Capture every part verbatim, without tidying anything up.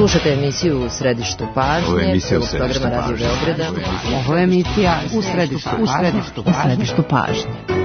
Slušate emisiju U središtu pažnje, celog programa Radio Beograda. Ovo je emisija U središtu pažnje. U središtu pažnje.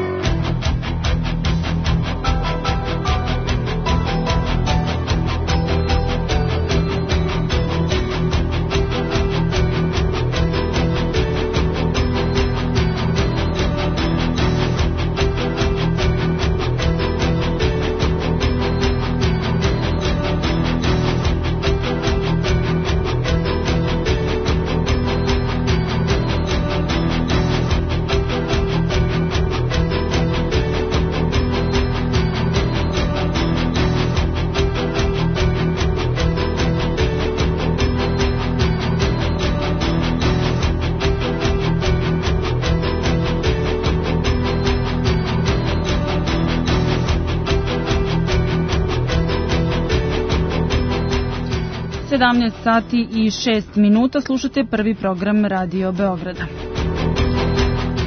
sedamnaest sati i šest minuta, slušate prvi program Radio Beograda.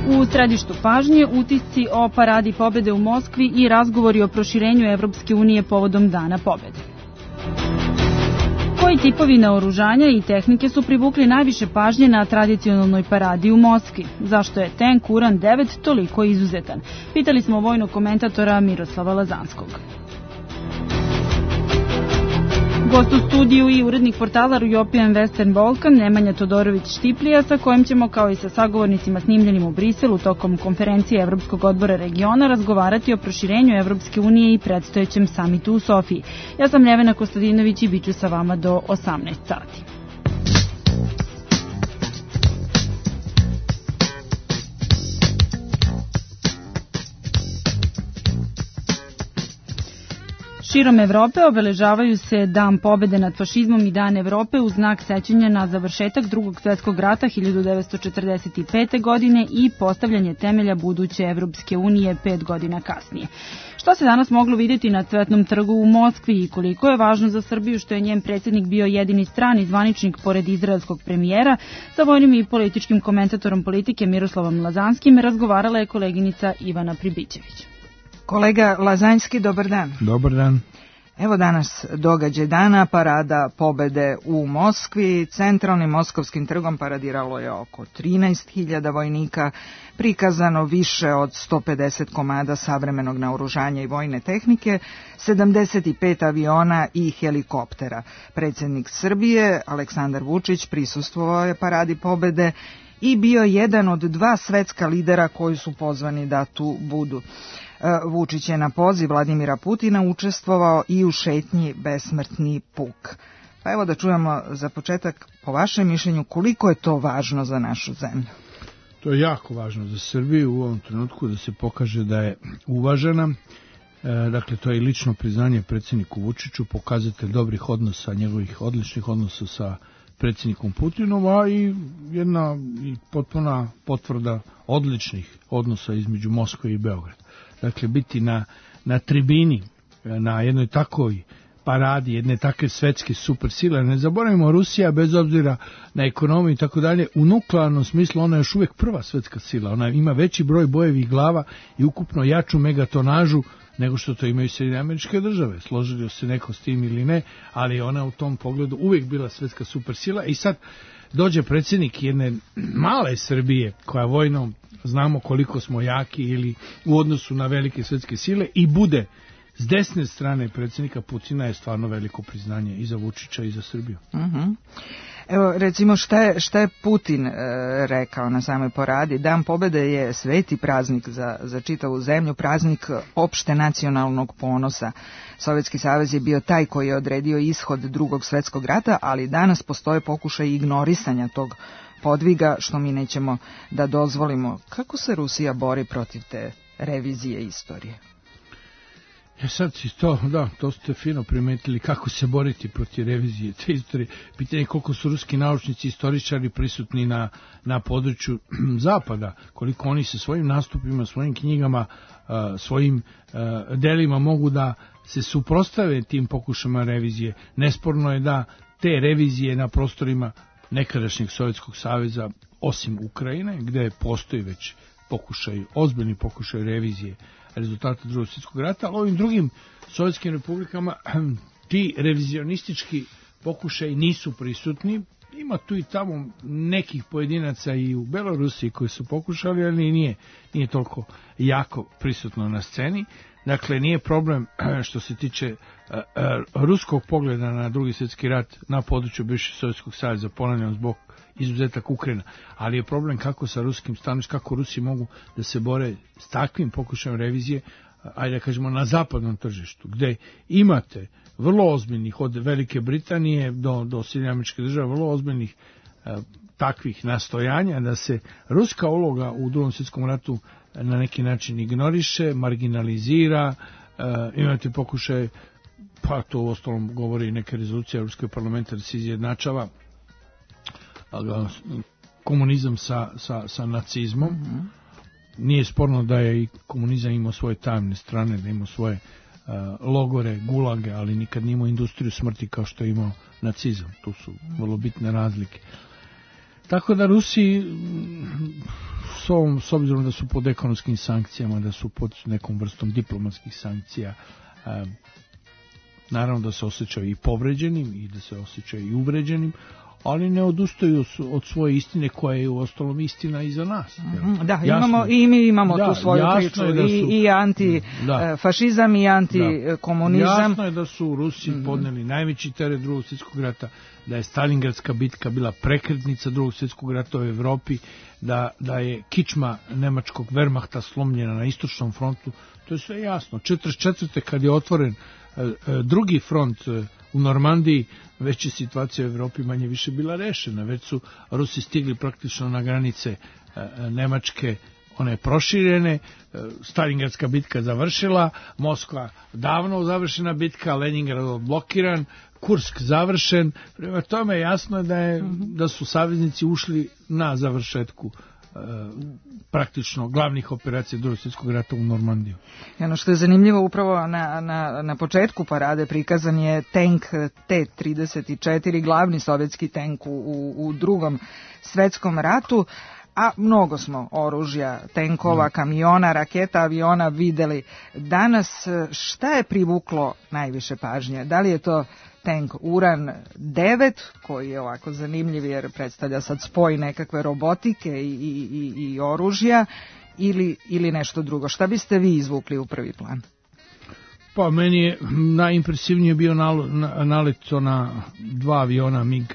U središtu pažnje utisci o paradi pobede u Moskvi i razgovori o proširenju Evropske unije povodom Dana pobede. Koji tipovi naoružanja i tehnike su privukli najviše pažnje na tradicionalnoj paradi u Moskvi? Zašto je tank Uran devet toliko izuzetan? Pitali smo vojnog komentatora Miroslava Lazanskog. Gost u studiju i urednik portala European Western Balkan Nemanja Todorović-Štiplija, sa kojim ćemo, kao i sa sagovornicima snimljenim u Briselu tokom konferencije Evropskog odbora regiona, razgovarati o proširenju Evropske unije i predstojećem samitu u Sofiji. Ja sam Nevena Kostadinović i bit ću sa vama do osamnaest sati. Širom Evrope obeležavaju se Dan pobede nad fašizmom i Dan Evrope u znak sećanja na završetak Drugog svjetskog rata hiljadu devetsto četrdeset pete. godine i postavljanje temelja buduće Evropske unije pet godina kasnije. Što se danas moglo vidjeti na Cvetnom trgu u Moskvi i koliko je važno za Srbiju što je njen predsjednik bio jedini strani zvaničnik pored izraelskog premijera, sa vojnim i političkim komentatorom politike Miroslavom Lazanskim razgovarala je koleginica Ivana Pribićević. Kolega Lazanjski, dobar dan. Dobar dan. Evo danas događaj dana, parada pobede u Moskvi. Centralnim moskovskim trgom paradiralo je oko trinaest hiljada vojnika, prikazano više od sto pedeset komada savremenog naoružanja i vojne tehnike, sedamdeset pet aviona i helikoptera. Predsjednik Srbije, Aleksandar Vučić, prisustvovao je paradi pobede i bio jedan od dva svetska lidera koji su pozvani da tu budu. Vučić je na poziv Vladimira Putina učestvovao i u šetnji Besmrtni puk. Pa evo da čujemo za početak, po vašem mišljenju, koliko je to važno za našu zemlju? To je jako važno za Srbiju u ovom trenutku da se pokaže da je uvažena. E, dakle, to je i lično priznanje predsjedniku Vučiću, pokazatelj dobrih odnosa, njegovih odličnih odnosa sa predsjednikom Putinom, a i jedna i potpuna potvrda odličnih odnosa između Moskve i Beograda. Dakle, biti na, na tribini, na jednoj takoj paradi, jedne takve svetske supersile. Ne zaboravimo, Rusija, bez obzira na ekonomiju i tako dalje, u nuklearnom smislu ona je još uvijek prva svetska sila. Ona ima veći broj bojevih glava i ukupno jaču megatonažu nego što to imaju Sjedinjene Američke Države. Složili se neko s tim ili ne, ali ona u tom pogledu uvijek bila svetska supersila. I sad dođe predsjednik jedne male Srbije, koja vojno znamo koliko smo jaki ili u odnosu na velike svetske sile, i bude s desne strane predsjednika Putina, je stvarno veliko priznanje i za Vučića i za Srbiju. Uh-huh. Evo, recimo, šta je, šta je Putin e, rekao na samoj paradi? Dan pobede je sveti praznik za, za čitavu zemlju, praznik opšte nacionalnog ponosa. Sovjetski savez je bio taj koji je odredio ishod Drugog svjetskog rata, ali danas postoje pokušaj ignorisanja tog podviga, što mi nećemo da dozvolimo. Kako se Rusija bori protiv te revizije istorije? E sad si to, da, to ste fino primetili, kako se boriti protiv revizije te istorije. Pitanje je koliko su ruski naučnici, istoričari prisutni na, na području zapada, koliko oni sa svojim nastupima, svojim knjigama, svojim delima mogu da se suprotstave tim pokušama revizije. Nesporno je da te revizije na prostorima nekadašnjeg Sovjetskog saveza, osim Ukrajine, gde postoji već pokušaj, ozbiljni pokušaj revizije rezultata Drugog svjetskog rata, ali ovim drugim sovjetskim republikama ti revizionistički pokušaj nisu prisutni. Ima tu i tamo nekih pojedinaca i u Belorusiji koji su pokušali, ali nije, nije toliko jako prisutno na sceni. Dakle, nije problem što se tiče uh, uh, ruskog pogleda na drugi svjetski rat na području bivšeg Sovjetskog saveza, ponavljam zbog izuzetak Ukrajina, ali je problem kako sa ruskim stanovištem, kako Rusi mogu da se bore s takvim pokušajem revizije, ajde da kažemo, na zapadnom tržištu, gde imate vrlo ozbiljnih, od Velike Britanije do, do Sjedinjenih Američkih Država, vrlo ozbiljnih uh, takvih nastojanja da se ruska uloga u drugom svjetskom ratu na neki način ignoriše, marginalizira, uh, imate pokušaj, pa to u ostalom govori neke rezolucije Europskog parlamenta, da se izjednačava komunizam sa, sa, sa nacizmom. Mm-hmm. Nije sporno da je i komunizam imao svoje tamne strane, da imao svoje uh, logore, gulage, ali nikad nije imao industriju smrti kao što je imao nacizam. Tu su vrlo bitne razlike. Tako da Rusi, s, ovom, s obzirom da su pod ekonomskim sankcijama, da su pod nekom vrstom diplomatskih sankcija, uh, naravno da se osjećaju i povređenim i da se osjećaju i uvređenim, ali ne odustaju od svoje istine koja je u ostalom istina i za nas. Mm-hmm. Da, imamo, i mi imamo da, tu svoju priču, su, i, i antifašizam i antikomunizam. Jasno je da su Rusi mm-hmm. podneli najveći teret drugog svjetskog rata, da je Stalingradska bitka bila prekretnica drugog svjetskog rata u Evropi, da, da je kičma nemačkog Wehrmachta slomljena na istočnom frontu. To je sve jasno. četrdeset četvrte kad je otvoren drugi front u Normandiji, već je situacija u Evropi manje više bila rešena. Već su Rusi stigli praktično na granice Nemačke, one proširene, Stalingradska bitka završila, Moskva davno završena bitka, Leningrad blokiran, Kursk završen. Prema tome jasno je da, je, da su saveznici ušli na završetku praktično glavnih operacija drugog svjetskog rata u Normandiju. I ono što je zanimljivo, upravo na, na, na početku parade prikazan je tank T trideset četiri, glavni sovjetski tank u, u, u drugom svjetskom ratu, a mnogo smo oružja, tenkova, kamiona, raketa, aviona videli. Danas šta je privuklo najviše pažnje? Da li je to tank Uran devet, koji je ovako zanimljiv jer predstavlja sad spoj nekakve robotike i, i, i, i oružja, ili, ili nešto drugo? Šta biste vi izvukli u prvi plan? Pa meni je najimpresivnije bio nalet na dva aviona MiG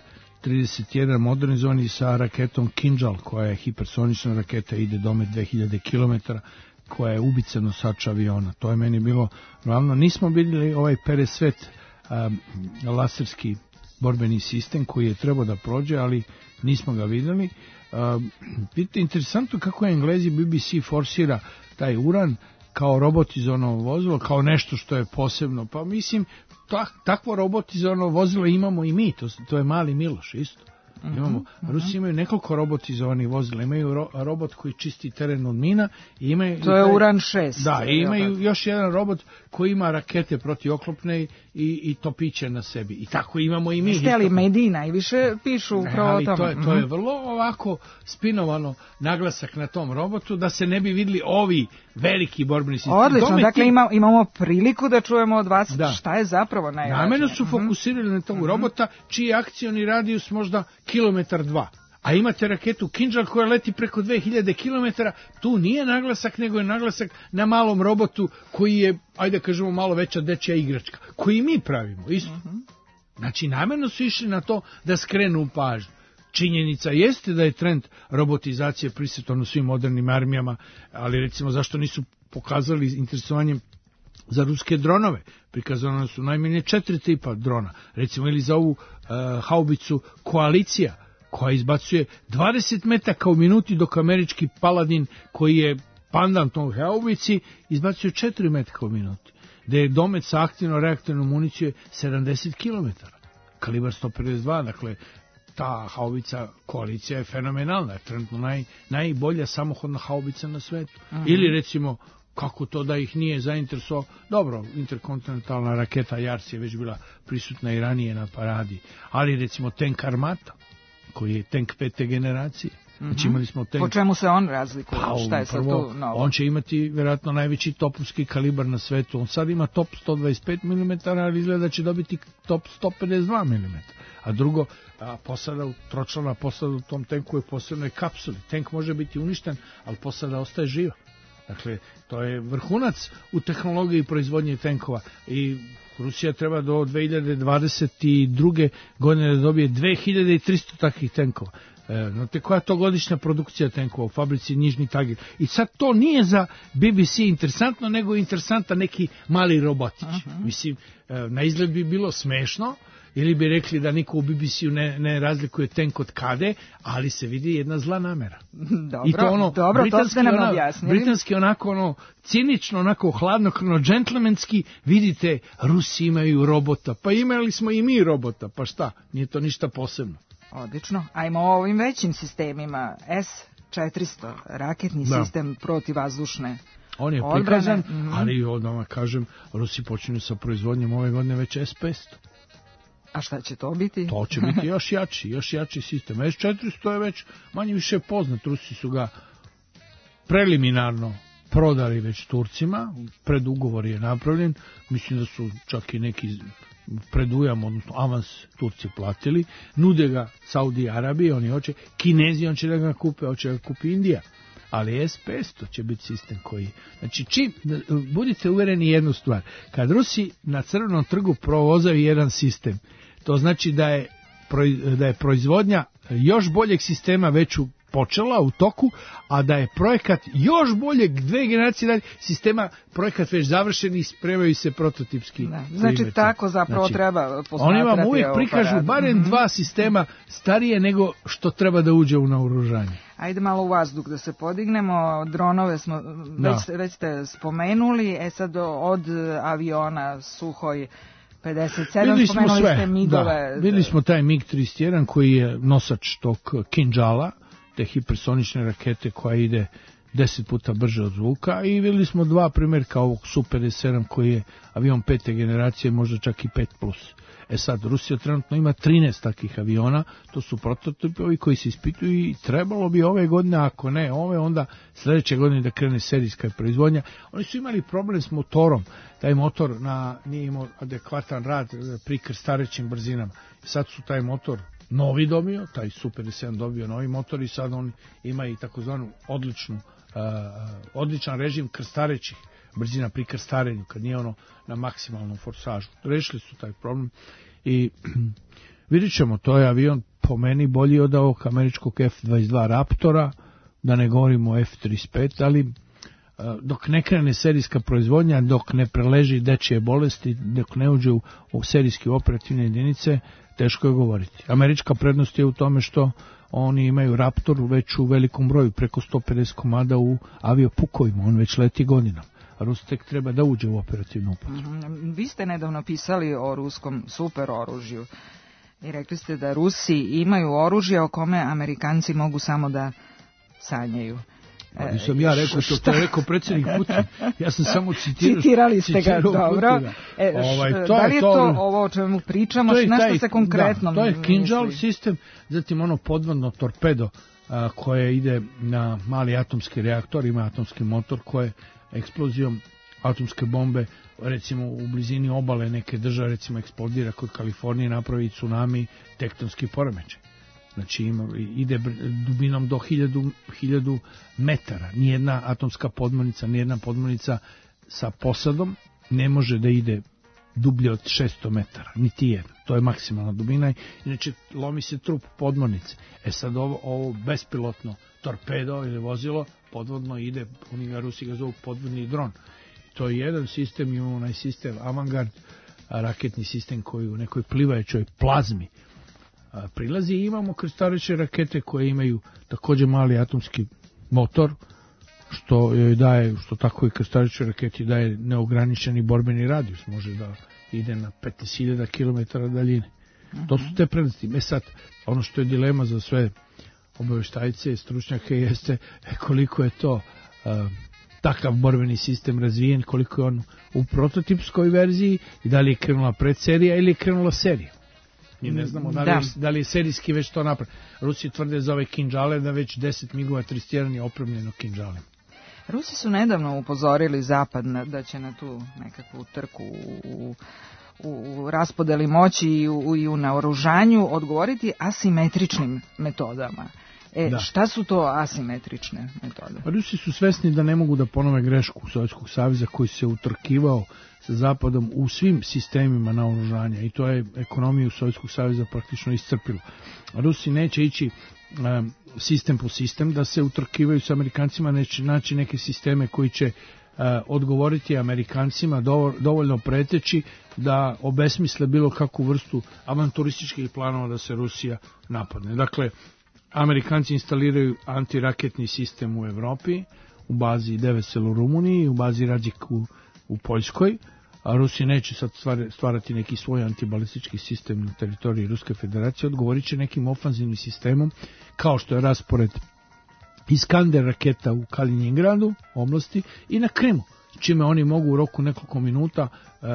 trideset jedan modernizovani sa raketom Kinjal, koja je hipersonična raketa, ide domet dve hiljade kilometara, koja je ubica nosač aviona. To je meni bilo glavno. Nismo vidjeli ovaj Peresvet um, laserski borbeni sistem koji je trebao da prođe, ali nismo ga vidjeli. Um, vidite, interesantno kako je Englezi B B C forsira taj Uran kao robotizovano vozilo, kao nešto što je posebno. Pa mislim, tak, takvo robotizovano vozilo imamo i mi, to, to je Mali Miloš isto. Imamo, uh-huh. Rusi imaju nekoliko robotizovanih vozila, imaju ro, robot koji čisti teren od mina. I imaju, to je taj, Uran šest. Da, i imaju još jedan robot koji ima rakete protivoklopne i, i topiće na sebi. I tako imamo i mi. Ste li mediji najviše pišu upravo o tome? To je, to je vrlo ovako spinovano naglasak na tom robotu, da se ne bi vidjeli ovi veliki borbeni sistemi. Odlično, Dome dakle ti... ima, imamo priliku da čujemo od vas da. Šta je zapravo najvažnije. Namjerno su fokusirali na tog uh-huh. robota, čiji akcioni radijus možda kilometar dva. A imate raketu Kinjal koja leti preko dve hiljade kilometara, tu nije naglasak, nego je naglasak na malom robotu koji je, ajde kažemo, malo veća dečja igračka, koji mi pravimo, isto. Uh-huh. Znači, namjerno su išli na to da skrenu pažnju. Činjenica jeste da je trend robotizacije prisutan u svim modernim armijama, ali recimo zašto nisu pokazali interesovanjem za ruske dronove? Prikazano su najmanje četiri tipa drona, recimo ili za ovu uh, haubicu Koalicija, koja izbacuje dvadeset metaka u minuti, dok američki Paladin, koji je pandan tog haubici, izbacuje četiri metaka u minuti, gde je domet sa aktivno-reaktivnom municijom sedamdeset kilometara, kalibar sto pedeset dva, dakle ta haubica Koalicija je fenomenalna, je trenutno naj, najbolja samohodna haubica na svetu. Aha. Ili recimo, kako to da ih nije zainteresovao, dobro, interkontinentalna raketa Jars je već bila prisutna i ranije na paradi, ali recimo tank Armata, koji je tank pete generacije, Znači imali smo tank. Po čemu se on razlikuje? Pa, Šta je sad prvo, tu novo? On će imati vjerojatno najveći topovski kalibar na svetu. On sad ima top sto dvadeset pet milimetara, ali izgleda da će dobiti top sto pedeset dva milimetra. A drugo, a posada, tročlana posada u tom tenku je posebnoj kapsuli. Tank može biti uništen, ali posada ostaje živa. Dakle, to je vrhunac u tehnologiji proizvodnje tenkova i Rusija treba do dve hiljade dvadeset druge godine da dobije dve hiljade tristo takvih tenkova. E, znate koja je to godišnja produkcija tenkova u fabrici Nižni Tagir. I sad to nije za B B C interesantno, nego je interesantan neki mali robotić. Uh-huh. Mislim, e, na izgled bi bilo smešno, ili bi rekli da niko u B B C-u ne, ne razlikuje tenk od kade, ali se vidi jedna zla namera. Dobro, I to ono, dobro, to ste nam ono, objasnili. Britanski onako ono, cinično, onako hladnokrvno, džentlmenski, vidite, Rusi imaju robota, pa imali smo i mi robota, pa šta, nije to ništa posebno. Odlično, ajmo o ovim većim sistemima, S četiristo, raketni da. sistem protivvazdušne. On je odbrane. prikazan, mm-hmm. ali odmah kažem, Rusi počinju sa proizvodnjom ove godine već S petsto. A šta će to biti? To će biti još jači, još jači sistem. S četiristo je već manje više poznat. Rusi su ga preliminarno prodali već Turcima. Predugovor je napravljen. Mislim da su čak i neki predujam, odnosno avans Turci platili. Nude ga Saudi Arabiji, oni hoće. Kinezi, on će da ga kupe, hoće da ga kupi Indija. Ali S petsto će biti sistem koji... Znači, čim, budite uvereni jednu stvar. Kad Rusi na crvenom trgu provozaju jedan sistem, to znači da je, da je proizvodnja još boljeg sistema već počela u toku, a da je projekat još boljeg dve generacije dalje sistema, projekat već završen i spremaju se prototipski. Da, znači primeti. Tako zapravo znači, treba posmatrati. Oni vam uvijek prikažu barem mm-hmm. dva sistema starije nego što treba da uđe u naoružanje. Ajde malo u vazduh da se podignemo, dronove smo već, već ste spomenuli, e sad od aviona Suhoj pedeset sedam, videli spomenuli smo sve. ste migove. Da, videli smo taj mig trideset jedan koji je nosač tog Kinjala, te hipersonične rakete koja ide deset puta brže od zvuka, i videli smo dva primjerka ovog Su pedeset sedam koji je avion pete generacije, možda čak i pet plus. E sad, Rusija trenutno ima trinaest takvih aviona, to su prototipovi koji se ispituju i trebalo bi ove godine, ako ne ove, onda sljedeće godine da krene serijska proizvodnja. Oni su imali problem s motorom, taj motor na, nije imao adekvatan rad pri krstarećim brzinama. Sad su taj motor novi dobio, taj Su pedeset sedam dobio novi motor i sad on ima i takozvanu odličnu, uh, odličan režim krstarećih brzina pri krstarenju, kad nije ono na maksimalnom forsažu. Rešili su taj problem i vidjet ćemo, to je avion po meni bolji od ovog američkog F dvadeset dva Raptora, da ne govorimo o F trideset pet, ali dok ne krene serijska proizvodnja, dok ne preleži dečije bolesti, dok ne uđe u, u serijske operativne jedinice, teško je govoriti. Američka prednost je u tome što oni imaju Raptor već u velikom broju, preko sto pedeset komada u aviopukovima, on već leti godinama. A Rus tek treba da uđe u operativnu upotrebu. Mm-hmm. Vi ste nedavno pisali o ruskom super oružju i rekli ste da Rusi imaju oružje o kome Amerikanci mogu samo da sanjaju. Pa nisam ja rekao, to, to je rekao predsjednik Putin. Ja sam samo citirao. Citirali ste ga, dobro. E, ovaj, to da li je to, to ovo o čemu pričamo, na što se konkretno da, to je Kinjal sistem, zatim ono podvodno torpedo a, koje ide na mali atomski reaktor, ima atomski motor koje eksplozijom atomske bombe, recimo u blizini obale neke države, recimo eksplodira kod Kalifornije, napravi tsunami, tektonski poremećaj. Znači ima, ide dubinom do hiljadu, hiljadu metara. Nijedna atomska podmornica, nijedna podmornica sa posadom ne može da ide dublje od šesto metara, niti jedna. To je maksimalna dubina, inače lomi se trup podmornice. E sad ovo, ovo bespilotno torpedo ili vozilo podvodno ide, oni ga Rusi ga zovu podvodni dron. To je jedan sistem, imamo onaj sistem Avangard, raketni sistem koji u nekoj plivajućoj plazmi prilazi, i imamo krstareće rakete koje imaju također mali atomski motor, što joj daje, što tako i krstareće raketi daje neograničeni borbeni radijus, može da ide na petnaest hiljada kilometara daljine. Uh-huh. To su te prednosti. E sad, ono što je dilema za sve obavještajce i stručnjake jeste koliko je to uh, takav borbeni sistem razvijen, koliko je on u prototipskoj verziji i da li je krenula predserija ili je krenula serija. Mi ne znamo da li, je, da li je serijski već to napravio. Rusi tvrde za ove kinđale da već deset migova trideset jedan je opremljeno kinđalem. Rusi su nedavno upozorili Zapad da će na tu nekakvu trku u, u, u raspodeli moći i u, i u naoružanju odgovoriti asimetričnim metodama. E, da. Šta su to asimetrične metode? Rusi su svesni da ne mogu da ponove grešku Sovjetskog saveza koji se utrkivao sa Zapadom u svim sistemima naoružanja i to je ekonomiju Sovjetskog saveza praktično iscrpilo. Rusi neće ići um, sistem po sistem da se utrkivaju sa Amerikancima, neće naći neke sisteme koji će uh, odgovoriti Amerikancima dovoljno preteći da obesmisle bilo kakvu vrstu avanturističkih planova da se Rusija napadne. Dakle, Amerikanci instaliraju antiraketni sistem u Evropi, u bazi Devesel u Rumuniji, u bazi Radžik u, u Poljskoj, a Rusi neće sad stvarati neki svoj antibalistički sistem na teritoriji Ruske federacije, odgovorit će nekim ofanzivnim sistemom, kao što je raspored Iskander raketa u Kaliningradu, oblasti, i na Krimu, čime oni mogu u roku nekoliko minuta.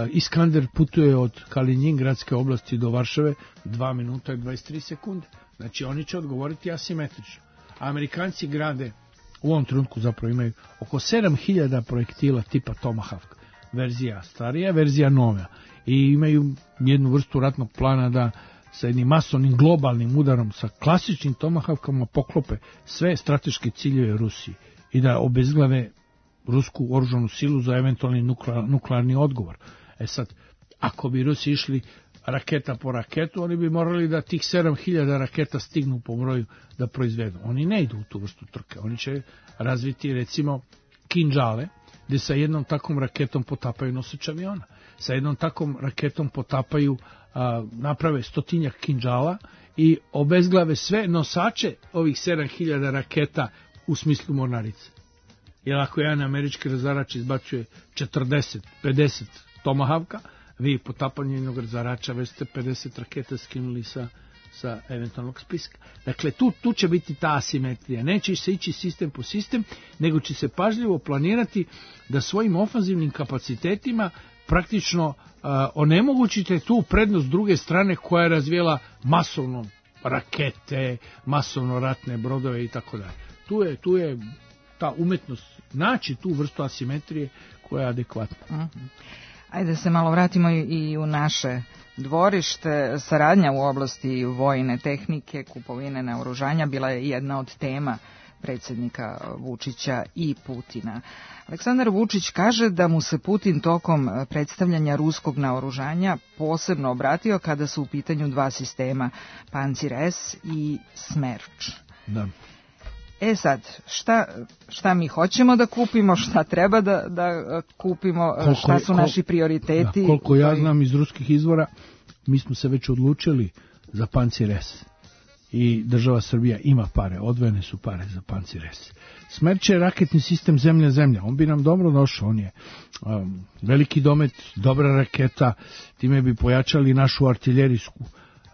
Iskander putuje od Kaliningradske oblasti do Varšave dva minuta i dvadeset tri sekunde. Znači oni će odgovoriti asimetrično. Amerikanci grade, u ovom trenutku zapravo imaju oko sedam hiljada projektila tipa Tomahawk, verzija starija, verzija nova, i imaju jednu vrstu ratnog plana da sa jednim masovnim globalnim udarom sa klasičnim Tomahawkama poklope sve strateške ciljeve Rusiji i da obezglave rusku oružanu silu za eventualni nuklearni odgovor. E sad, ako bi Rusi išli raketa po raketu, oni bi morali da tih sedam hiljada raketa stignu po broju da proizvedu. Oni ne idu u tu vrstu trke. Oni će razviti, recimo, kinđale, gde sa jednom takvom raketom potapaju nosač aviona. Sa jednom takvom raketom potapaju, a, naprave stotinjak kinđala i obezglave sve nosače ovih sedam hiljada raketa u smislu mornarice. Jer ako jedan američki razarač izbacuje četrdeset pedeset Tomahawka, vi potapanje jednog razarača već ste pedeset raketa skinuli sa, sa eventualnog spiska. Dakle, tu, tu će biti ta asimetrija. Neće se ići sistem po sistem, nego će se pažljivo planirati da svojim ofanzivnim kapacitetima praktično uh, onemogućite tu prednost druge strane koja je razvijela masovno rakete, masovno ratne brodove i tako dalje. Tu je, tu je ta umetnost naći tu vrstu asimetrije koja je adekvatna. Mm-hmm. Ajde se malo vratimo i u naše dvorište. Saradnja u oblasti vojne tehnike, kupovine naoružanja bila je jedna od tema predsjednika Vučića i Putina. Aleksandar Vučić kaže da mu se Putin tokom predstavljanja ruskog naoružanja posebno obratio kada su u pitanju dva sistema, Pancir S i Smerč. Da. E sad, šta, šta mi hoćemo da kupimo, šta treba da, da kupimo, koliko, šta su naši kol, prioriteti? Da, koliko ja znam iz ruskih izvora, mi smo se već odlučili za Pancir S. I država Srbija ima pare, odvojene su pare za Pancir S. Smerč je raketni sistem zemlja-zemlja, on bi nam dobro došao, on je um, veliki domet, dobra raketa, time bi pojačali našu artiljerijsku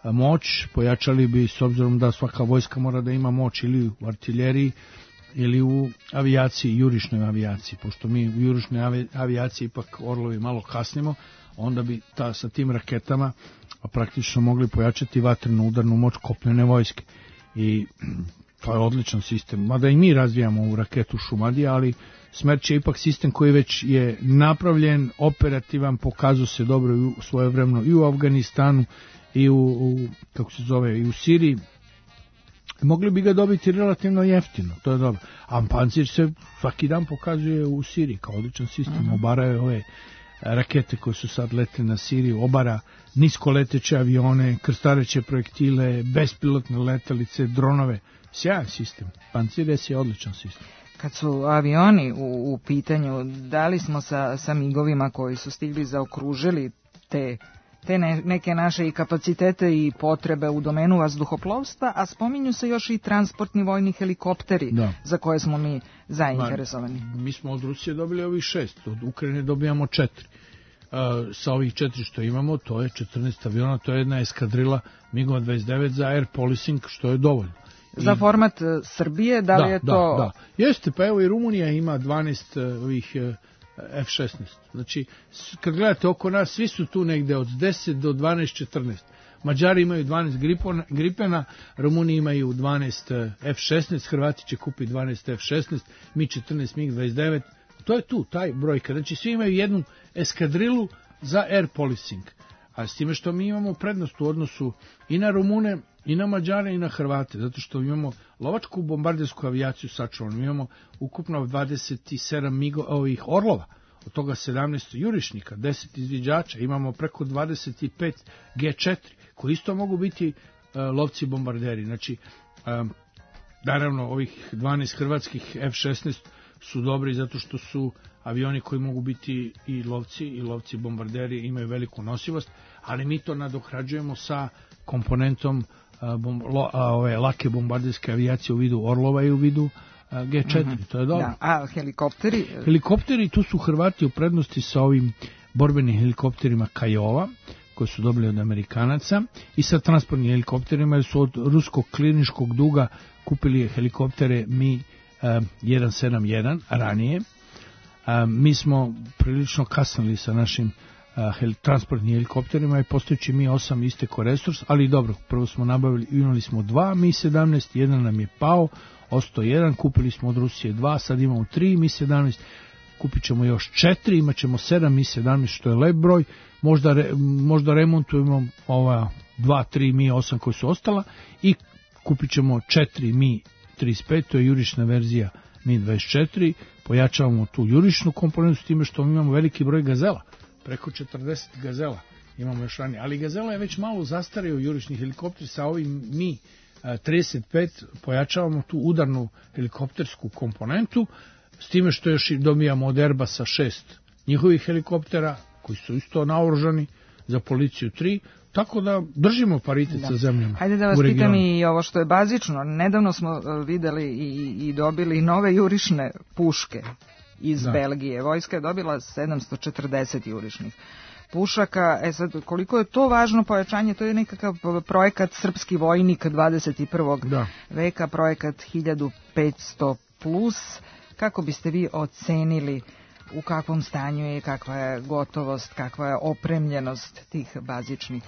moć, pojačali bi, s obzirom da svaka vojska mora da ima moć ili u artiljeriji ili u avijaciji, jurišnoj avijaciji, pošto mi u jurišnoj avijaciji ipak orlovi malo kasnimo, onda bi ta, sa tim raketama praktično mogli pojačati vatrenu udarnu moć kopnene vojske. I to je odličan sistem, mada i mi razvijamo ovu raketu Šumadija, ali Smerč je ipak sistem koji već je napravljen, operativan, pokazao se dobro i u svojevremeno i u Afganistanu i u, u kako se zove, i u Siriji. Mogli bi ga dobiti relativno jeftino, to je dobro. A Pancir se svaki dan pokazuje u Siriji kao odličan sistem, uh-huh. Obaraju ove rakete koje su sad letile na Siriju, obara niskoleteće avione, krstareće projektile, bespilotne letelice, dronove. Sjajan sistem. Pancir S je odličan sistem. Kad su avioni u, u pitanju, da li smo sa, sa migovima koji su stigli zaokružili te te ne, neke naše i kapacitete i potrebe u domenu vazduhoplovstva, a spominju se još i transportni vojni helikopteri, da, za koje smo mi zainteresovani. Ma, mi smo od Rusije dobili ovih šest, od Ukrajine dobijamo četiri. Uh, sa ovih četiri što imamo, to je četrnaest aviona, to je jedna eskadrila MiG dvadeset devet za air policing, što je dovoljno. Za I, format Srbije, da li da, je to... Da, da. Jeste, pa evo i Rumunija ima dvanaest ovih F šesnaest. Znači, kad gledate oko nas, svi su tu negde od deset do dvanaest četrnaest. Mađari imaju dvanaest Gripena, Rumuni imaju dvanaest F šesnaest, Hrvati će kupiti dvanaest F šesnaest, mi četrnaest MiG dvadeset devet. To je tu, taj brojka. Znači svi imaju jednu eskadrilu za air policing. A s time što mi imamo prednost u odnosu i na Rumune, i na Mađare, i na Hrvate, zato što imamo lovačku bombardersku avijaciju sačuvanu, imamo ukupno dvadeset sedam migo, ovih Orlova, od toga sedamnaest jurišnika, deset izviđača, imamo preko dvadeset pet G četiri, koji isto mogu biti uh, lovci bombarderi. Znači, um, naravno, ovih dvanaest hrvatskih F šesnaest su dobri zato što su avioni koji mogu biti i lovci, i lovci bombarderi, imaju veliku nosivost, ali mi to nadoknađujemo sa komponentom a, bom, lo, a, ove lake bombarderske avijacije u vidu Orlova i u vidu a, G četiri, mm-hmm. To je dobro. Da. A helikopteri? Helikopteri, tu su Hrvati u prednosti sa ovim borbenim helikopterima Kajova, koji su dobili od Amerikanaca, i sa transportnim helikopterima, jer su od ruskog kliničkog duga kupili helikoptere Mi jedan sedam jedan ranije. A, mi smo prilično kasnili sa našim a, hel, transportnim helikopterima i postojeći Mi osam isteko resurs, ali dobro, prvo smo nabavili, imali smo dva Mi sedamnaest, jedan nam je pao, ostao jedan, kupili smo od Rusije dva, sad imamo tri Mi sedamnaest, kupit ćemo još četiri, imat ćemo sedam Mi sedamnaest, što je lep broj, možda, re, možda remontujemo ova dva, tri Mi osam koji su ostala i kupit ćemo četiri Mi trideset pet, to je jurišna verzija Mi dvadeset četiri, pojačavamo tu jurišnu komponentu s time što imamo veliki broj Gazela, preko četrdeset Gazela imamo još ranije, ali Gazela je već malo zastario jurišni helikopter, sa ovim Mi trideset pet pojačavamo tu udarnu helikoptersku komponentu, s time što još dobijamo od Airbusa šest njihovih helikoptera, koji su isto naoružani, za policiju tri, tako da držimo paritet da. sa zemljama. Hajde da vas pitam i ovo što je bazično. Nedavno smo videli i, i dobili nove jurišne puške iz da. Belgije. Vojska je dobila sedamsto četrdeset jurišnih pušaka. E sad, koliko je to važno pojačanje, to je nekakav projekat Srpski vojnik dvadeset prvog Da. veka, projekat hiljadu petsto plus. Kako biste vi ocenili u kakvom stanju je, kakva je gotovost, kakva je opremljenost tih bazičnih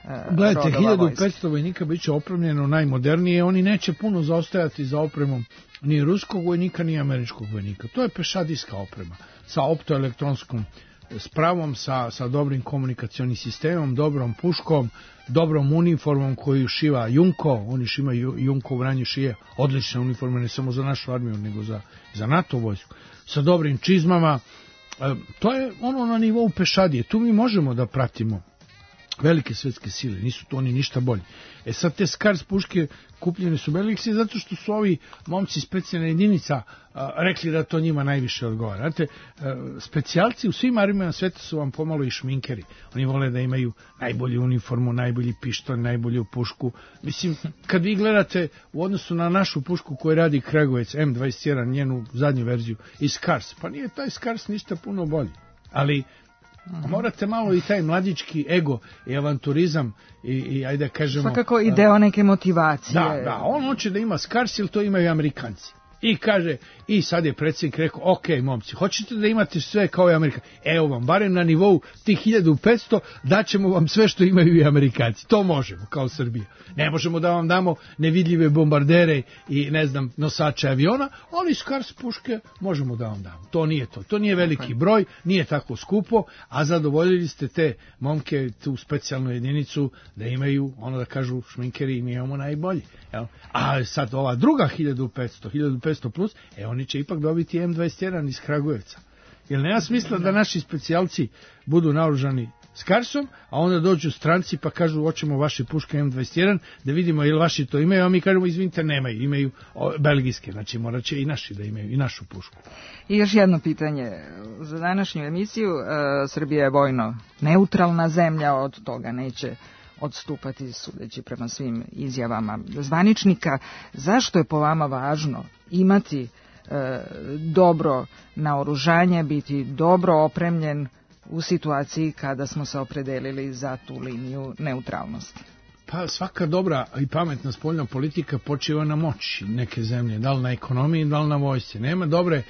uh, Gledajte, hiljadu petsto vojnika bit će opremljeno najmodernije, oni neće puno zaostajati za opremom ni ruskog vojnika, ni američkog vojnika. To je pešadijska oprema, sa optoelektronskom spravom, sa, sa dobrim komunikacionim sistemom, dobrom puškom, dobrom uniformom koju šiva Junko, oni šima Junko u Vranju šije odlične uniforme, ne samo za našu armiju, nego za, za NATO vojsku, sa dobrim čizmama. E, to je ono na nivou pešadije, tu mi možemo da pratimo velike svetske sile, nisu to oni ništa bolji. E sad te Skars puške kupljene su Belgijske zato što su ovi momci specijalna jedinica a, rekli da to njima najviše odgovara. Znate, a, specijalci u svim armijama sveta su vam pomalo i šminkeri. Oni vole da imaju najbolju uniformu, najbolji pištolj, najbolju pušku. Mislim, kad vi gledate u odnosu na našu pušku koju radi Kragujevac M dvadeset jedan, njenu zadnju verziju, i Skars, pa nije taj Skars ništa puno bolji. Ali morate malo i taj mladički ego i avanturizam i, i ajde kažemo... Svakako i deo neke motivacije. Da, da, on hoće da ima Skars, jer to imaju Amerikanci. I kaže, i sad je predsjednik rekao, ok, momci, hoćete da imate sve kao i Amerikanci? Evo vam, barem na nivou tih hiljadu petsto daćemo vam sve što imaju i Amerikanci. To možemo, kao Srbija. Ne možemo da vam damo nevidljive bombardere i, ne znam, nosače aviona, ali Skars puške možemo da vam damo. To nije to. To nije veliki broj, nije tako skupo, a zadovoljili ste te momke, tu specijalnu jedinicu, da imaju, ono da kažu šminkeri, mi imamo najbolji. Jel? A sad ova druga hiljadu petsto, hiljadu petsto plus, e oni će ipak dobiti M dvadeset jedan iz Kragujevca. Jer nema smisla da naši specijalci budu naoružani Skarsom, a onda dođu stranci pa kažu hoćemo vaše puške M dvadeset jedan, da vidimo ili vaši to imaju, a mi kažemo izvinite nemaju, imaju belgijske, znači morat će i naši da imaju i našu pušku. I još jedno pitanje za današnju emisiju. e, Srbija je vojno neutralna zemlja, od toga neće odstupati, sudeći prema svim izjavama zvaničnika. Zašto je po vama važno imati e, dobro naoružanje, biti dobro opremljen u situaciji kada smo se opredelili za tu liniju neutralnosti? Pa svaka dobra i pametna spoljna politika počiva na moći neke zemlje, da li na ekonomiji, da li na vojsci. Nema dobre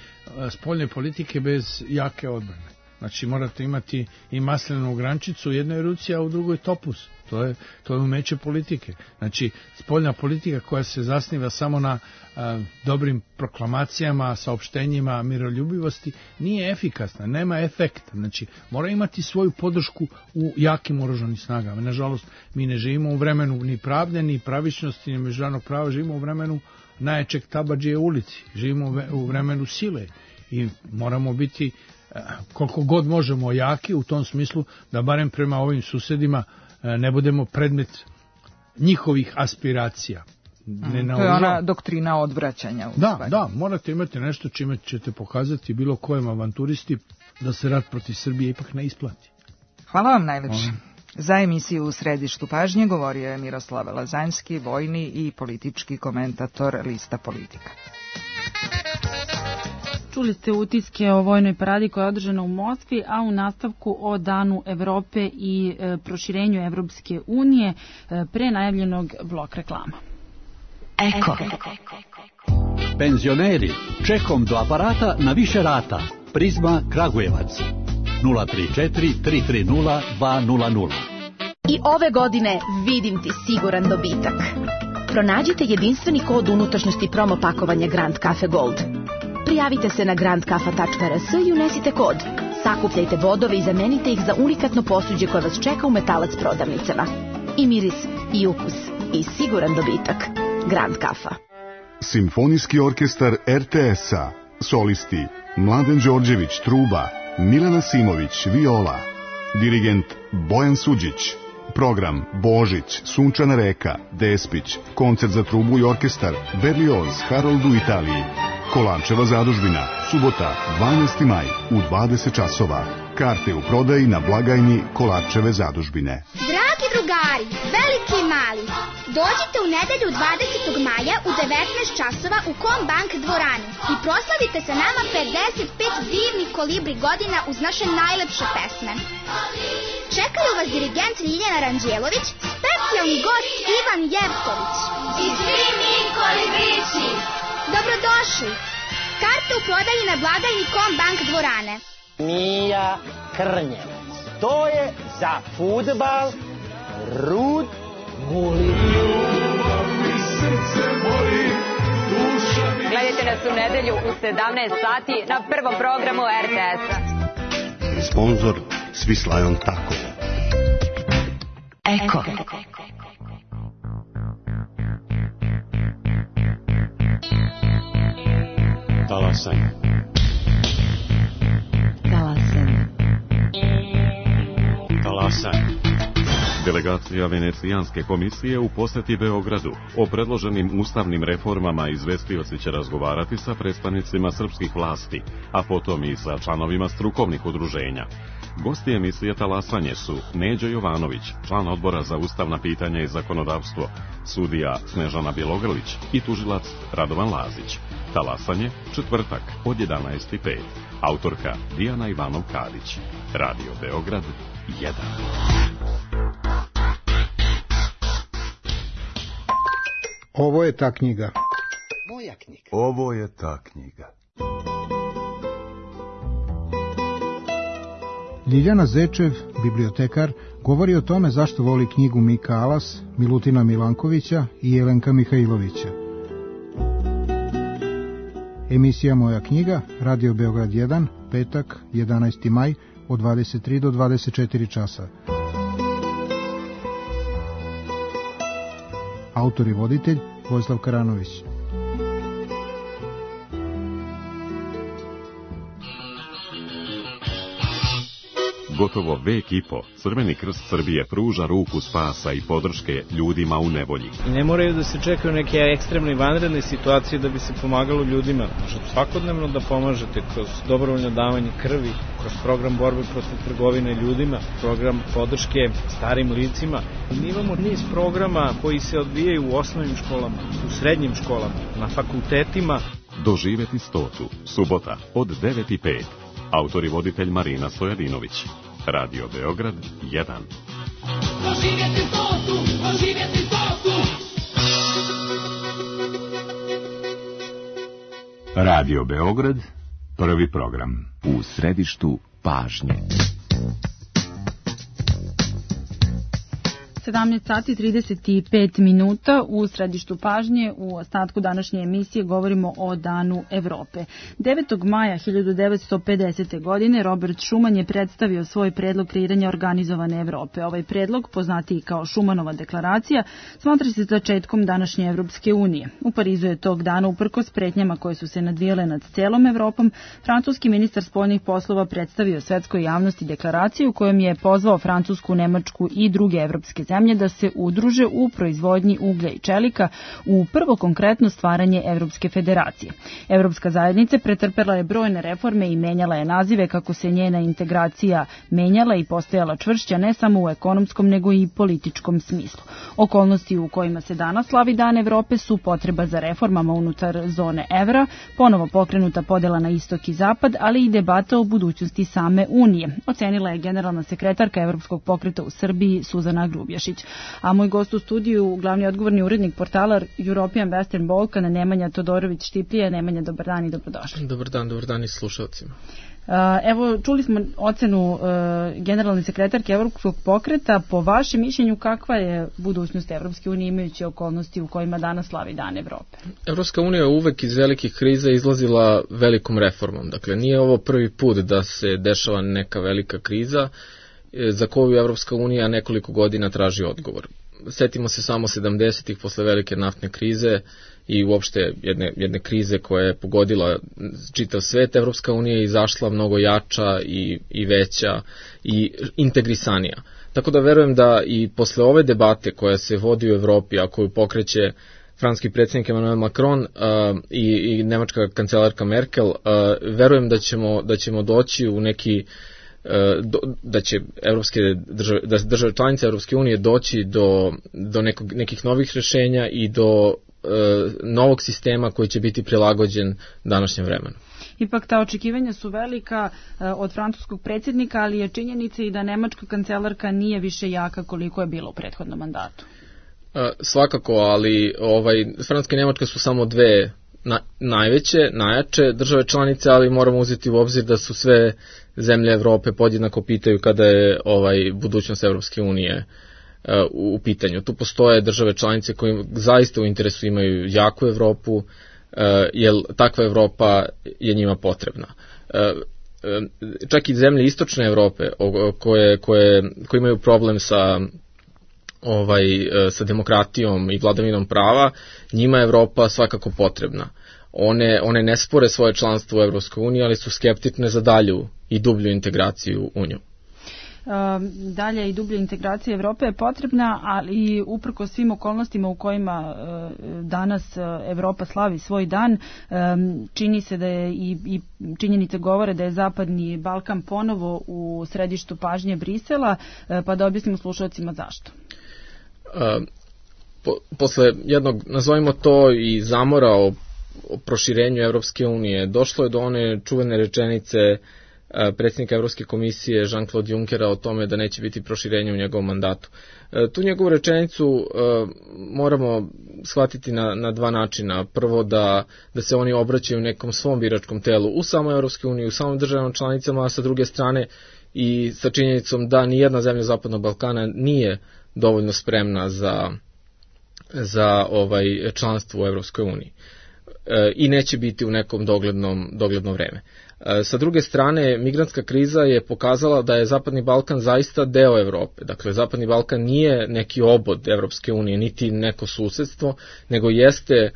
spoljne politike bez jake odbrane. Znači morate imati i maslenu grančicu u jednoj ruci, a u drugoj topuz. To je, to je umeće politike. Znači, spoljna politika koja se zasniva samo na a, dobrim proklamacijama, saopštenjima, miroljubivosti, nije efikasna, nema efekta. Znači, mora imati svoju podršku u jakim oružanim snagama. Nažalost, mi ne živimo u vremenu ni pravde, ni pravičnosti, ni međunarodnog prava, živimo u vremenu najjačeg tabadžije u ulici. Živimo u vremenu sile i moramo biti a, koliko god možemo jaki u tom smislu da barem prema ovim susedima ne budemo predmet njihovih aspiracija. Ne mm, to je ona doktrina odvraćanja. Da, stvari. Da, morate imati nešto čime ćete pokazati bilo kojem avanturisti da se rat protiv Srbije ipak ne isplati. Hvala vam najlepše. Um. Za emisiju U središtu pažnje govorio je Miroslav Lazanski, vojni i politički komentator Lista Politika. Čuli ste utiske o vojnoj paradi koja je održana u Moskvi, a u nastavku o Danu Evrope i e, proširenju Evropske unije e, pre najavljenog blok reklama. Eko. Penzioneri, čekom do aparata na više rata. Prizma Kragujevac. nula tri četiri tri tri nula dva nula nula. I ove godine vidim ti siguran dobitak. Pronađite jedinstveni kod unutrašnjosti promo pakovanja Grand Cafe Gold. Prijavite se na grand kafa tačka r s i unesite kod. Sakupljajte bodove i zamenite ih za unikatno posuđe koje vas čeka u Metalac prodavnicama. I miris, i ukus, i siguran dobitak. Grand Kafa. Simfonijski orkestar er te es-a. Solisti Mladen Đorđević, truba, Milana Simović, viola. Dirigent Bojan Suđić. Program Božić, Sunčana reka, Despić, koncert za trubu i orkestar, Berlioz, Harold u Italiji. Kolančeva zadužbina, subota, dvanaesti maj, u dvadeset časova. Karte u prodaji na blagajni Kolančeve zadužbine. Dragi drugari, veliki i mali, dođite u nedelju dvadesetog maja u devetnaest časova u Kombank dvorani i proslavite sa nama pedeset pet divnih kolibri godina uz naše najlepše pesme. Čekaju vas dirigent Ljiljana Ranđelović, specijalni gost Ivan Jevtović. I svi mi kolibrići. Dobrodošli! Karte u prodaji na blagajni Kombank dvorane. Mija Krnjevac. To je za fudbal Rud Guli. Gledajte nas u nedelju u sedamnaest sati na prvom programu er te es-a. Sponzor Svislajon Tako. Eko. Talasanj. Talasanj. Talasanj. Delegacija Venecijanske komisije u poseti Beogradu o predloženim ustavnim reformama izvestioci će razgovarati sa predstavnicima srpskih vlasti, a potom i sa članovima strukovnih udruženja. Gosti emisije Talasanje su Neđo Jovanović, član odbora za ustavna pitanja i zakonodavstvo, sudija Snežana Bjelogrlić i tužilac Radovan Lazić. Talasanje, četvrtak od jedanaest i pet. Autorka Dijana Ivanov-Kadić. Radio Beograd jedan. Ovo je ta knjiga. Moja knjiga. Ovo je ta knjiga. Ljiljana Zečev, bibliotekar, govori o tome zašto voli knjigu Mika Alas, Milutina Milankovića i Jelenka Mihajlovića. Emisija Moja knjiga, Radio Beograd jedan, petak, jedanaesti maj, od dvadeset tri do dvadeset četiri časa. Autor i voditelj Vojislav Karanović. Gotovo vek i po, Crveni krst Srbije pruža ruku spasa i podrške ljudima u nevolji. I ne moraju da se čekaju neke ekstremne i vanredne situacije da bi se pomagalo ljudima. Možete svakodnevno da pomažete kroz dobrovoljno davanje krvi, kroz program borbe protiv trgovine ljudima, program podrške starim licima. Mi imamo niz programa koji se odvijaju u osnovnim školama, u srednjim školama, na fakultetima. Doživeti stotu, subota od devet i pet. Autor i voditelj Marina Stojadinović. Radio Beograd jedan. Doživjeti stotu, doživjeti stotu. Radio Beograd, prvi program. U središtu pažnje. sedamnaest sati trideset pet minuta u središtu pažnje. U ostatku današnje emisije govorimo o Danu Evrope. devetog maja hiljadu devetsto pedesete. godine Robert Schuman je predstavio svoj predlog kreiranja organizovane Evrope. Ovaj predlog, poznatiji kao Schumanova deklaracija, smatra se začetkom današnje Evropske unije. U Parizu je tog dana, uprkos pretnjama koje su se nadvijele nad celom Evropom, francuski ministar spoljnih poslova predstavio svetskoj javnosti deklaraciju kojom je pozvao Francusku, Nemačku i druge evropske zemlje da se udruže u proizvodnji uglja i čelika u prvo konkretno stvaranje Evropske federacije. Evropska zajednica pretrpela je brojne reforme i menjala je nazive kako se njena integracija menjala i postajala čvršća ne samo u ekonomskom nego i političkom smislu. Okolnosti u kojima se danas slavi Dan Evrope su potreba za reformama unutar zone evra, ponovo pokrenuta podela na istok i zapad, ali i debata o budućnosti same Unije, ocenila je generalna sekretarka Evropskog pokreta u Srbiji Suzana Grubješić. A moj gost u studiju, glavni odgovorni urednik portala European Western Balkan, Nemanja Todorović-Štiplija. Nemanja, dobar dan i dobrodošli. Dobar dan, dobar dan i slušalcima. Evo, čuli smo ocenu generalne sekretarke Evropskog pokreta. Po vašem mišljenju, kakva je budućnost Evropske unije imajući okolnosti u kojima danas slavi Dan Evrope? Evropska unija je uvek iz velikih kriza izlazila velikom reformom. Dakle, nije ovo prvi put da se dešava neka velika kriza za koju Evropska unija nekoliko godina traži odgovor. Setimo se samo sedamdesetih posle velike naftne krize i uopšte jedne, jedne krize koja je pogodila čitav svet. Evropska unija je izašla mnogo jača i, i veća i integrisanija. Tako da verujem da i posle ove debate koja se vodi u Evropi, a koju pokreće francuski predsjednik Emmanuel Macron uh, i, i nemačka kancelarka Merkel, uh, verujem da ćemo, da ćemo doći u neki da će evropske države, da države članice Evropske unije doći do, do nekog, nekih novih rješenja i do e, novog sistema koji će biti prilagođen današnjem vremenu. Ipak ta očekivanja su velika e, od francuskog predsjednika, ali je činjenica i da nemačka kancelarka nije više jaka koliko je bilo u prethodnom mandatu. E, svakako, ali ovaj, Francuska i Nemačka su samo dve na, najveće, najjače države članice, ali moramo uzeti u obzir da su sve zemlje Evrope podjednako pitaju kada je ovaj budućnost Evropske unije uh, u pitanju. Tu postoje države članice koje zaista u interesu imaju jaku Evropu, uh, jer takva Evropa je njima potrebna. Uh, uh, čak i zemlje istočne Evrope koje, koje, koje imaju problem sa ovaj uh, sa demokratijom i vladavinom prava, njima je Evropa svakako potrebna. One, one ne spore svoje članstvo u Evropskoj uniji, ali su skeptične za dalju i dublju integraciju u nju. Dalja i dublja integracija Evrope je potrebna, ali uprko svim okolnostima u kojima danas Evropa slavi svoj dan, čini se da je i, i činjenice govore da je Zapadni Balkan ponovo u središtu pažnje Brisela, pa da objasnimo slušalcima zašto. Po, posle jednog, nazovimo to i zamora o o proširenju Evropske unije, došlo je do one čuvene rečenice predsjednika Evropske komisije Jean-Claude Junckera o tome da neće biti proširenja u njegovom mandatu. Tu njegovu rečenicu moramo shvatiti na, na dva načina. Prvo da, da se oni obraćaju nekom svom biračkom telu u samoj Evropskoj uniji, u samom državama članicama, a sa druge strane i sa činjenicom da nijedna zemlja Zapadnog Balkana nije dovoljno spremna za, za ovaj članstvo u Evropskoj uniji i neće biti u nekom doglednom, dogledno vreme. Sa druge strane, migrantska kriza je pokazala da je Zapadni Balkan zaista deo Evrope. Dakle, Zapadni Balkan nije neki obod Evropske unije, niti neko susedstvo, nego jeste,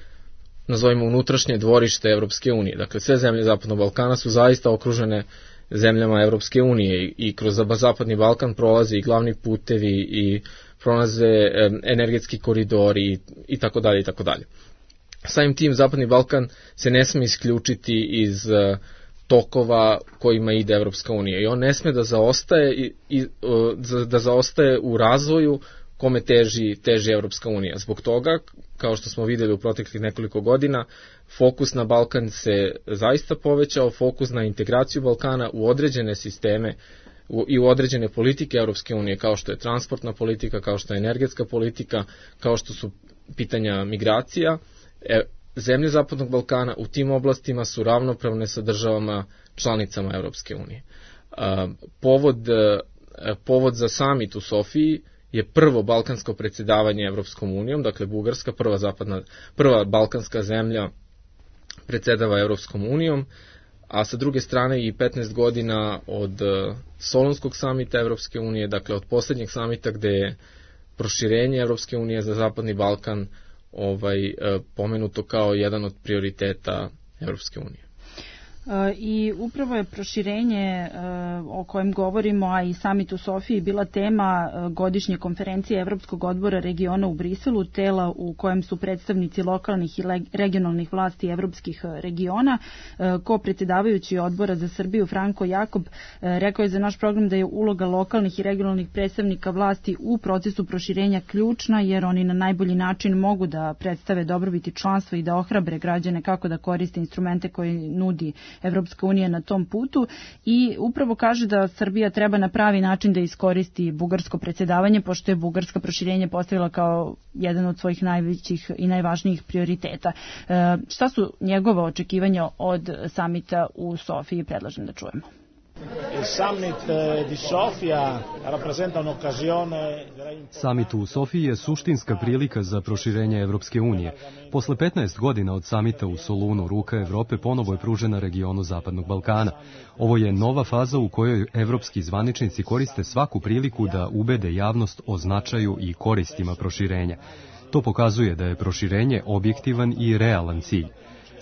nazovimo, unutrašnje dvorište Evropske unije. Dakle, sve zemlje Zapadnog Balkana su zaista okružene zemljama Evropske unije i kroz Zapadni Balkan prolaze i glavni putevi i prolaze energetski koridori i tako dalje i tako dalje. Samim tim Zapadni Balkan se ne sme isključiti iz uh, tokova kojima ide Evropska unija i on ne sme da zaostaje i, i uh, da zaostaje u razvoju kome teži teži Evropska unija. Zbog toga, kao što smo videli u proteklih nekoliko godina, fokus na Balkan se zaista povećao, fokus na integraciju Balkana u određene sisteme u, i u određene politike Evropske unije, kao što je transportna politika, kao što je energetska politika, kao što su pitanja migracija. E, zemlje Zapadnog Balkana u tim oblastima su ravnopravne sa državama članicama Evropske unije. Povod, povod za samit u Sofiji je prvo balkansko predsjedavanje Evropskom unijom, dakle Bugarska, prva zapadna, prva balkanska zemlja predsjedava Evropskom unijom, a sa druge strane i petnaest godina od Solunskog samita Evropske unije, dakle od posljednjeg samita gde je proširenje Evropske unije za Zapadni Balkan ovaj, pomenuto kao jedan od prioriteta Evropske unije. I upravo je proširenje o kojem govorimo, a i samit u Sofiji, bila tema godišnje konferencije Evropskog odbora regiona u Briselu, tela u kojem su predstavnici lokalnih i regionalnih vlasti evropskih regiona. Ko predsjedavajući odbora za Srbiju Franko Jakob rekao je za naš program da je uloga lokalnih i regionalnih predstavnika vlasti u procesu proširenja ključna, jer oni na najbolji način mogu da predstave dobrobiti članstva i da ohrabre građane kako da koriste instrumente koje nudi Evropska unija na tom putu, i upravo kaže da Srbija treba na pravi način da iskoristi bugarsko predsjedavanje, pošto je Bugarska proširenje postavila kao jedan od svojih najvećih i najvažnijih prioriteta. E, šta su njegova očekivanja od samita u Sofiji? Predlažem da čujemo. Samit u Sofiji je suštinska prilika za proširenje Evropske unije. Posle petnaest godina od samita u Solunu, ruka Evrope ponovo je pružena regionu Zapadnog Balkana. Ovo je nova faza u kojoj evropski zvaničnici koriste svaku priliku da ubede javnost o značaju i koristima proširenja. To pokazuje da je proširenje objektivan i realan cilj.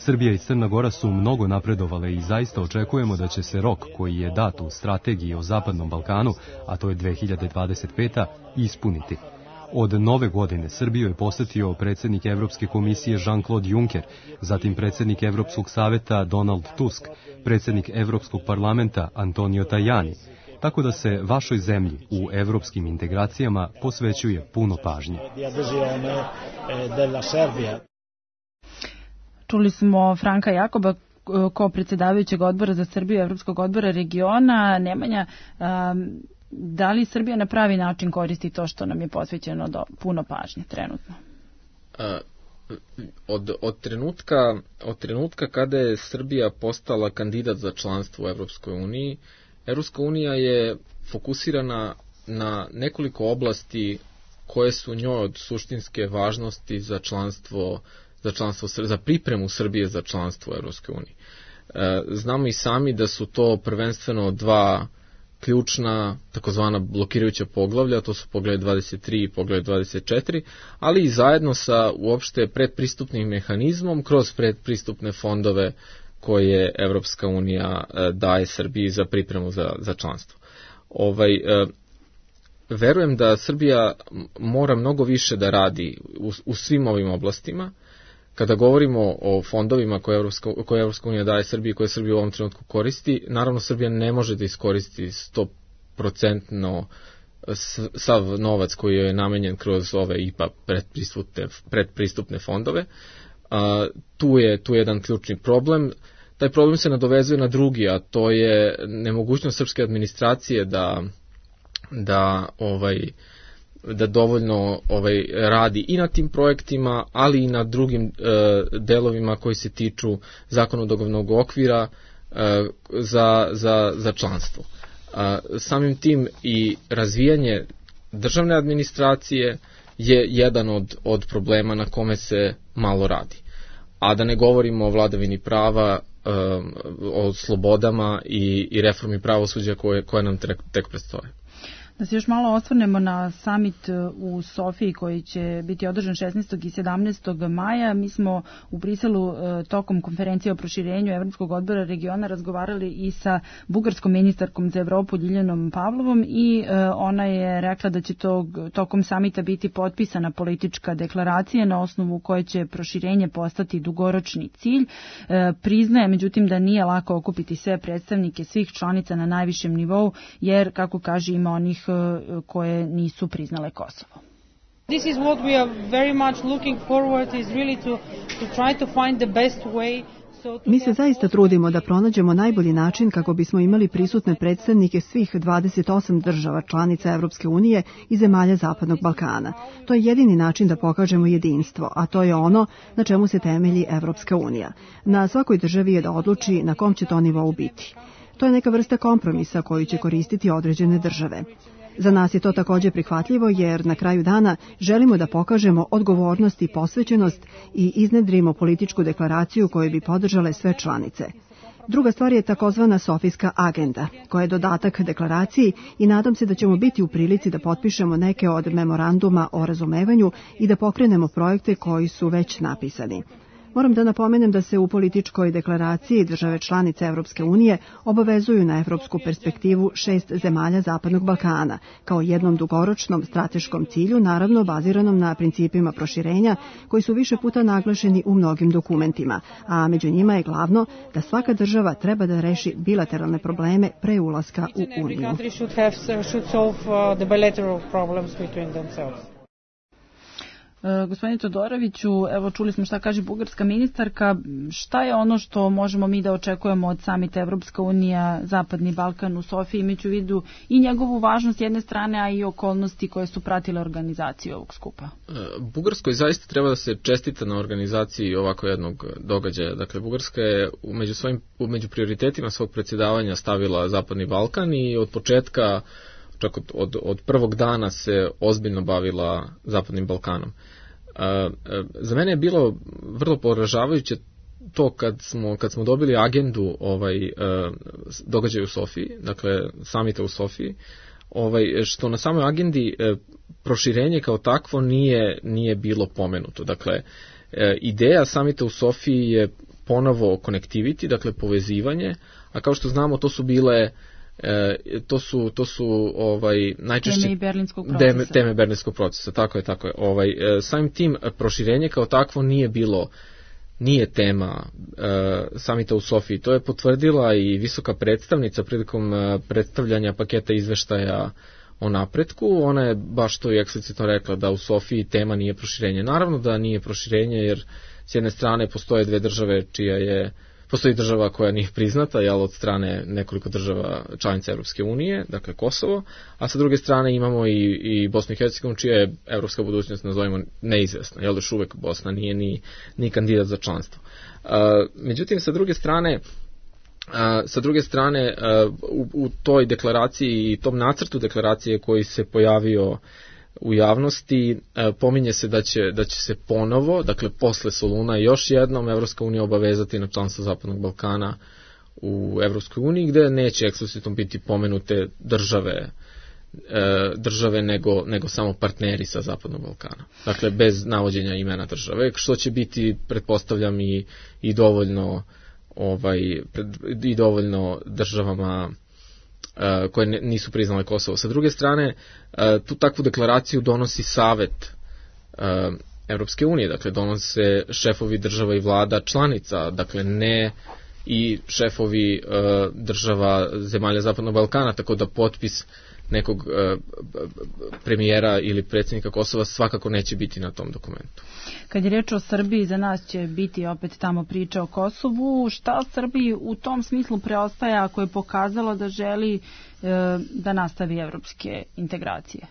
Srbija i Crna Gora su mnogo napredovale i zaista očekujemo da će se rok koji je dat u strategiji o Zapadnom Balkanu, a to je dve hiljade dvadeset peta. ispuniti. Od nove godine Srbiju je posetio predsjednik Evropske komisije Jean-Claude Juncker, zatim predsjednik Evropskog saveta Donald Tusk, predsjednik Evropskog parlamenta Antonio Tajani, tako da se vašoj zemlji u evropskim integracijama posvećuje puno pažnje. Čuli smo Franka Jakoba, ko predsjedavajućeg odbora za Srbiju Evropskog odbora regiona. Nemanja, da li Srbija na pravi način koristi to što nam je posvećeno do puno pažnje trenutno? Od, od, trenutka, od trenutka kada je Srbija postala kandidat za članstvo u Evropskoj uniji, Evropska unija je fokusirana na nekoliko oblasti koje su njoj od suštinske važnosti za članstvo za članstvo, za pripremu Srbije za članstvo u Evropskoj uniji. Znamo i sami da su to prvenstveno dva ključna takozvana blokirajuća poglavlja, to su poglavlje dvadeset tri i poglavlje dvadeset četiri, ali i zajedno sa uopšte predpristupnim mehanizmom kroz predpristupne fondove koje Evropska unija daje Srbiji za pripremu za, za članstvo. Ovaj, verujem da Srbija mora mnogo više da radi u, u svim ovim oblastima. Kada govorimo o fondovima koje Evropska, koje Evropska unija daje Srbiji, koje Srbija u ovom trenutku koristi, naravno Srbija ne može da iskoristi sto procentno sav novac koji je namenjen kroz ove I P A predpristupne, predpristupne fondove. A, tu je tu je jedan ključni problem. Taj problem se nadovezuje na drugi, a to je nemogućnost srpske administracije da, da ovaj... da dovoljno ovaj radi i na tim projektima, ali i na drugim e, delovima koji se tiču zakonodavnog okvira e, za, za, za članstvo. A, samim tim i razvijanje državne administracije je jedan od, od problema na kome se malo radi. A da ne govorimo o vladavini prava, e, o slobodama i, i reformi pravosuđa koje, koje nam tek, tek predstoje. Da se još malo osvrnemo na samit u Sofiji koji će biti održan šesnaestog i sedamnaestog maja. Mi smo u Briselu tokom konferencije o proširenju Evropskog odbora regiona razgovarali i sa bugarskom ministarkom za Evropu Ljiljanom Pavlovom i ona je rekla da će tog, tokom samita biti potpisana politička deklaracija na osnovu koje će proširenje postati dugoročni cilj. Priznaje međutim da nije lako okupiti sve predstavnike svih članica na najvišem nivou, jer kako kaže ima onih koje nisu priznale Kosovo. This is what we are very much looking forward is really to to try to find the best way. Mi se zaista trudimo da pronađemo najbolji način kako bismo imali prisutne predstavnike svih dvadeset osam država članica Evropske unije i zemalja Zapadnog Balkana. To je jedini način da pokažemo jedinstvo, a to je ono na čemu se temelji Evropska unija. Na svakoj državi je da odluči na kom će to nivou biti. To je neka vrsta kompromisa koju će koristiti određene države. Za nas je to također prihvatljivo jer na kraju dana želimo da pokažemo odgovornost i posvećenost i iznedrimo političku deklaraciju koju bi podržale sve članice. Druga stvar je takozvana Sofijska agenda, koja je dodatak deklaraciji i nadam se da ćemo biti u prilici da potpišemo neke od memoranduma o razumevanju i da pokrenemo projekte koji su već napisani. Moram da napomenem da se u političkoj deklaraciji države članice Evropske unije obavezuju na evropsku perspektivu šest zemalja Zapadnog Balkana, kao jednom dugoročnom strateškom cilju, naravno baziranom na principima proširenja, koji su više puta naglašeni u mnogim dokumentima, a među njima je glavno da svaka država treba da reši bilateralne probleme pre ulaska u Uniju. E, gospodine Todoroviću, evo čuli smo šta kaže bugarska ministarka, šta je ono što možemo mi da očekujemo od samita Evropska unija, Zapadni Balkan u Sofiji, imajući u vidu i njegovu važnost jedne strane, a i okolnosti koje su pratile organizaciju ovog skupa? E, Bugarskoj zaista treba da se čestita na organizaciji ovako jednog događaja. Dakle, Bugarska je među, svojim, među prioritetima svog predsjedavanja stavila Zapadni Balkan i od početka, čak od, od, od prvog dana se ozbiljno bavila Zapadnim Balkanom. Uh, za mene je bilo vrlo poražavajuće to kad smo, kad smo dobili agendu ovaj, uh, događaja u Sofiji, dakle samita u Sofiji, ovaj, što na samoj agendi uh, proširenje kao takvo nije, nije bilo pomenuto. Dakle, uh, ideja samita u Sofiji je ponovo connectivity, dakle povezivanje, a kao što znamo to su bile E, to su to su ovaj najčešće teme berlinskog procesa. Teme, teme berlinskog procesa, tako je, tako je. Ovaj e, samim tim proširenje kao takvo nije bilo nije tema e, samita u Sofiji. To je potvrdila i visoka predstavnica prilikom e, predstavljanja paketa izveštaja o napretku. Ona je baš to i eksplicitno rekla da u Sofiji tema nije proširenje. Naravno da nije proširenje jer s jedne strane postoje dve države čija je Postoji država koja nije priznata, jel, od strane nekoliko država članica Evropske unije, dakle Kosovo, a sa druge strane imamo i, i Bosnu i Hercegovinu, čija je evropska budućnost, nazovimo, neizvesna, jel, još uvek Bosna nije ni, ni kandidat za članstvo. Uh, međutim, sa druge strane, uh, sa druge strane uh, u, u toj deklaraciji i tom nacrtu deklaracije koji se pojavio u javnosti, pominje se da će, da će se ponovo, dakle posle Soluna još jednom Evropska unija obavezati na članstvo Zapadnog Balkana u Evropskoj uniji, gde neće eksplicitno biti pomenute države, države nego, nego samo partneri sa Zapadnog Balkana. Dakle, bez navođenja imena države, što će biti, pretpostavljam, i, i dovoljno ovaj, i dovoljno državama koje nisu priznale Kosovo. Sa druge strane, tu takvu deklaraciju donosi Savet Evropske unije, dakle donose šefovi država i vlada članica, dakle ne i šefovi država zemalja Zapadnog Balkana, tako da potpis nekog premijera ili predsjednika Kosova svakako neće biti na tom dokumentu. Kad je reč o Srbiji, za nas će biti opet tamo priča o Kosovu. Šta Srbiji u tom smislu preostaje ako je pokazalo da želi e, da nastavi evropske integracije?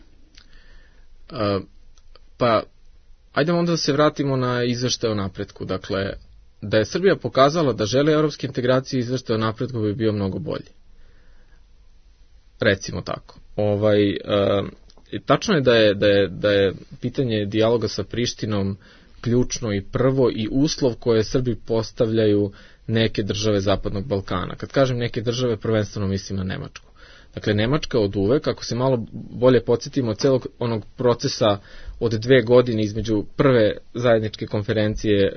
E, pa, ajdemo onda da se vratimo na izveštaj o napretku. Dakle, da je Srbija pokazala da želi evropske integracije, izveštaj o napretku bi bio mnogo bolji. Recimo tako. Ovaj, e, tačno je da je, da je da je pitanje dijaloga sa Prištinom ključno i prvo i uslov koje Srbi postavljaju neke države Zapadnog Balkana. Kad kažem neke države, prvenstveno mislim na Nemačku. Dakle, Nemačka od uvek, ako se malo bolje podsjetimo od celog onog procesa od dve godine između prve zajedničke konferencije,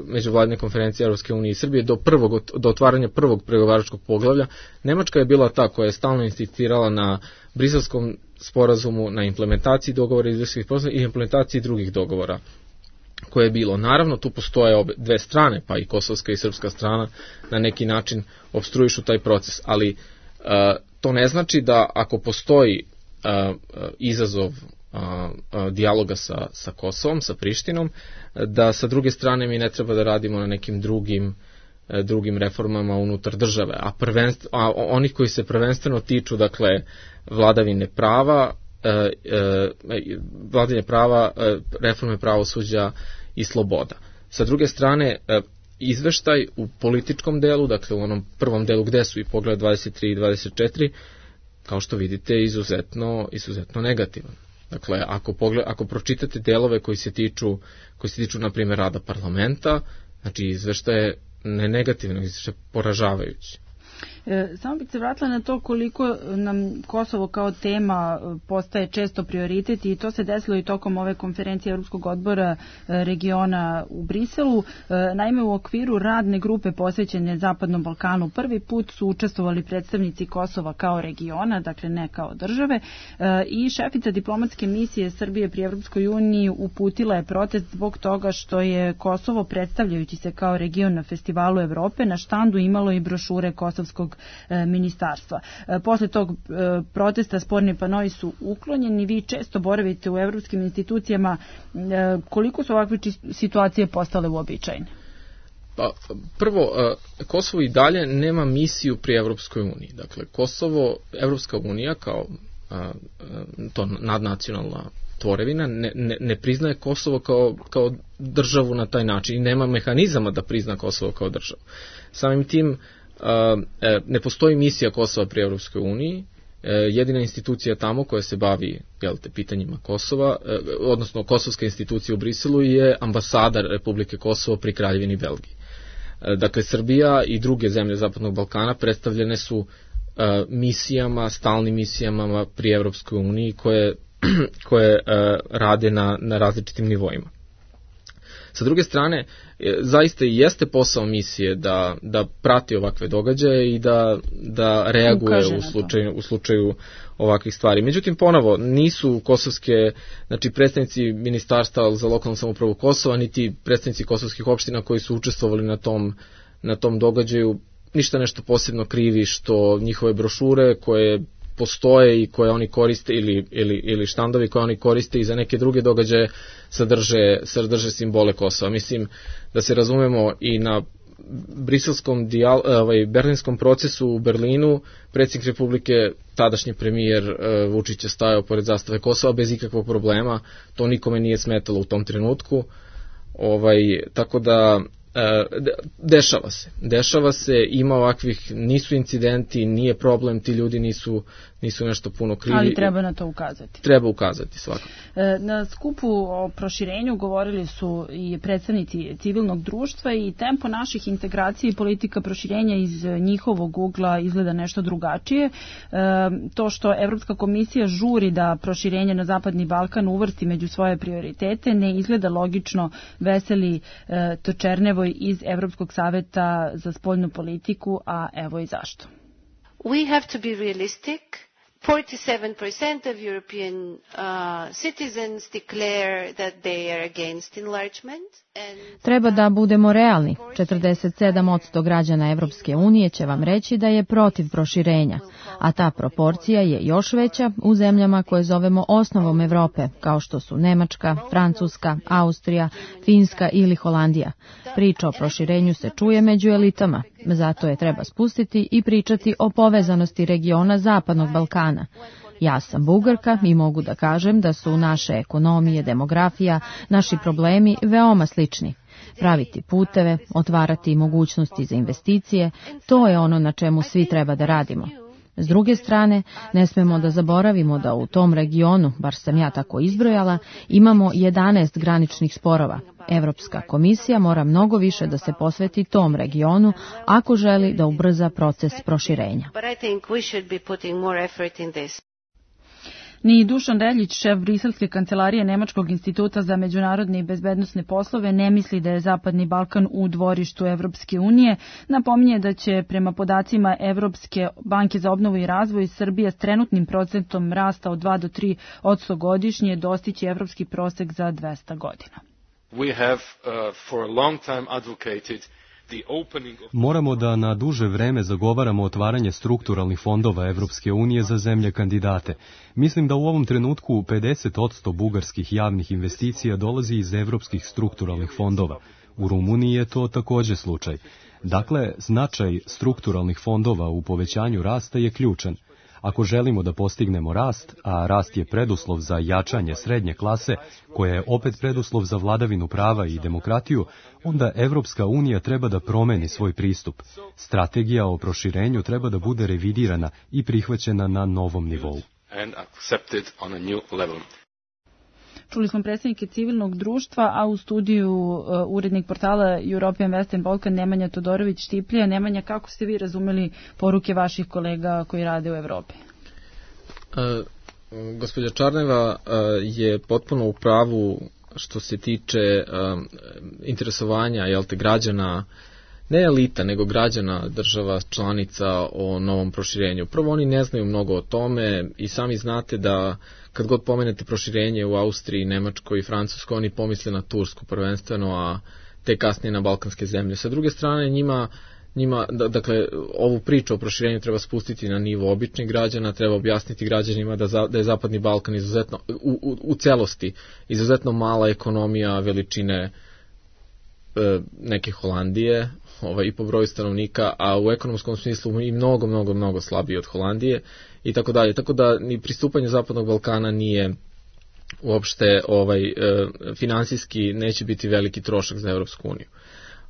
međuvladine konferencije Evropske unije i Srbije do, prvog, do otvaranja prvog pregovaračkog poglavlja, Nemačka je bila ta koja je stalno insistirala na Briselskom sporazumu, na implementaciji dogovora iz Briselskih sporazuma i implementaciji drugih dogovora koje je bilo. Naravno, tu postoje obe, dve strane, pa i kosovska i srpska strana na neki način obstruišu taj proces, ali uh, to ne znači da ako postoji uh, izazov uh, uh, dijaloga sa, sa Kosovom, sa Prištinom, da sa druge strane mi ne treba da radimo na nekim drugim uh, drugim reformama unutar države, a, prvenst, a onih koji se prvenstveno tiču, dakle, vladavine prava, uh, uh, vladavine prava, uh, reforme pravosuđa i sloboda. Sa druge strane, uh, izveštaj u političkom delu, dakle u onom prvom delu gde su i pogled dvadeset tri i dvadeset četiri, kao što vidite, izuzetno, izuzetno negativan. Dakle, ako, pogled, ako pročitate delove koji se tiču, koji se tiču, na primjer, rada parlamenta, znači izveštaj je ne negativno, izveštaj je poražavajući. Samo bih se vratila na to koliko nam Kosovo kao tema postaje često prioritet i to se desilo i tokom ove konferencije Evropskog odbora regiona u Briselu. Naime, u okviru radne grupe posvećene Zapadnom Balkanu prvi put su učestvovali predstavnici Kosova kao regiona, dakle ne kao države, i šefica diplomatske misije Srbije pri Evropskoj uniji uputila je protest zbog toga što je Kosovo, predstavljajući se kao region na Festivalu Evrope, na štandu imalo i brošure kosovskog ministarstva. Posle tog protesta sporni panoi su uklonjeni. Vi često boravite u evropskim institucijama. Koliko su ovakve situacije postale uobičajene? Pa, prvo, Kosovo i dalje nema misiju pri Evropskoj uniji. Dakle, Kosovo, Evropska unija kao to nadnacionalna tvorevina ne, ne, ne priznaje Kosovo kao, kao državu na taj način i nema mehanizama da prizna Kosovo kao državu. Samim tim ne postoji misija Kosova pri Evropskoj uniji, jedina institucija tamo koja se bavi, jel te, pitanjima Kosova, odnosno kosovska institucija u Briselu je ambasadar Republike Kosovo pri Kraljevini Belgiji. Dakle, Srbija i druge zemlje Zapadnog Balkana predstavljene su misijama, stalnim misijama pri Evropskoj uniji koje, koje rade na, na različitim nivoima. Sa druge strane, zaista i jeste posao misije da, da prati ovakve događaje i da, da reaguje u slučaju, u slučaju ovakvih stvari. Međutim, ponovo, nisu kosovske, znači predstavnici Ministarstva za lokalnu samoupravu Kosova, niti predstavnici kosovskih opština koji su učestvovali na tom, na tom događaju, ništa nešto posebno krivi što njihove brošure koje postoje i koje oni koriste ili, ili, ili štandovi koje oni koriste i za neke druge događaje sadrže, sadrže simbole Kosova. Mislim da se razumemo i na briselskom dijal, ovaj, berlinskom procesu u Berlinu predsjednik Republike, tadašnji premijer Vučić je stajao pored zastave Kosova bez ikakvog problema, to nikome nije smetalo u tom trenutku. Ovaj, tako da dešava se, dešava se, ima ovakvih, nisu incidenti, nije problem, ti ljudi nisu, nisu nešto puno krivi. Ali treba na to ukazati. Treba ukazati, svakako. Na skupu o proširenju govorili su i predstavnici civilnog društva i tempo naših integracija i politika proširenja iz njihovog ugla izgleda nešto drugačije. To što Evropska komisija žuri da proširenje na Zapadni Balkan uvrsti među svoje prioritete ne izgleda logično, veseli Točernevoj iz Evropskog saveta za spoljnu politiku, a evo i zašto. We have to be realistic. forty-seven percent of European uh, citizens declare that they are against enlargement. Treba da budemo realni. četrdeset sedam posto građana Evropske unije će vam reći da je protiv proširenja, a ta proporcija je još veća u zemljama koje zovemo osnovom Evrope, kao što su Nemačka, Francuska, Austrija, Finska ili Holandija. Priča o proširenju se čuje među elitama, zato je treba spustiti i pričati o povezanosti regiona Zapadnog Balkana. Ja sam Bugarka i mogu da kažem da su naše ekonomije, demografija, naši problemi veoma slični. Praviti puteve, otvarati mogućnosti za investicije, to je ono na čemu svi treba da radimo. S druge strane, ne smemo da zaboravimo da u tom regionu, bar sam ja tako izbrojala, imamo jedanaest graničnih sporova. Evropska komisija mora mnogo više da se posveti tom regionu ako želi da ubrza proces proširenja. Ni Dušan Reljić, šef briselske kancelarije Nemačkog instituta za međunarodne i bezbednosne poslove, ne misli da je Zapadni Balkan u dvorištu Evropske unije. Napominje da će prema podacima Evropske banke za obnovu i razvoj Srbija s trenutnim procentom rasta od dva do tri posto godišnje dostići evropski prosek za dvesta godina. We have uh, for a long time advocated Moramo da na duže vreme zagovaramo otvaranje strukturalnih fondova Evropske unije za zemlje kandidate. Mislim da u ovom trenutku pedeset posto bugarskih javnih investicija dolazi iz evropskih strukturalnih fondova. U Rumuniji je to također slučaj. Dakle, značaj strukturalnih fondova u povećanju rasta je ključan. Ako želimo da postignemo rast, a rast je preduslov za jačanje srednje klase, koja je opet preduslov za vladavinu prava i demokratiju, onda Evropska unija treba da promeni svoj pristup. Strategija o proširenju treba da bude revidirana i prihvaćena na novom nivou. And accepted on a new level. Čuli smo predstavnike civilnog društva, a u studiju uh, urednik portala European Western Balkan Nemanja Todorović-Štiplija. Nemanja, kako ste vi razumeli poruke vaših kolega koji rade u Evropi? Uh, gospođa Čarneva uh, je potpuno u pravu što se tiče uh, interesovanja, jel te, građana, ne elita, nego građana država članica o novom proširenju. Prvo, oni ne znaju mnogo o tome i sami znate da kad god pomenete proširenje u Austriji, Nemačkoj i Francuskoj, oni pomisle na Tursku prvenstveno, a te kasnije na balkanske zemlje. Sa druge strane, njima, njima dakle, ovu priču o proširenju treba spustiti na nivo običnih građana, treba objasniti građanima da, za, da je Zapadni Balkan izuzetno, u, u, u celosti, izuzetno mala ekonomija veličine e, neke Holandije, ovaj, i po broju stanovnika, a u ekonomskom smislu i mnogo, mnogo, mnogo slabiji od Holandije i tako dalje. Tako da ni pristupanje Zapadnog Balkana nije uopšte ovaj, e, finansijski neće biti veliki trošak za Evropsku uniju.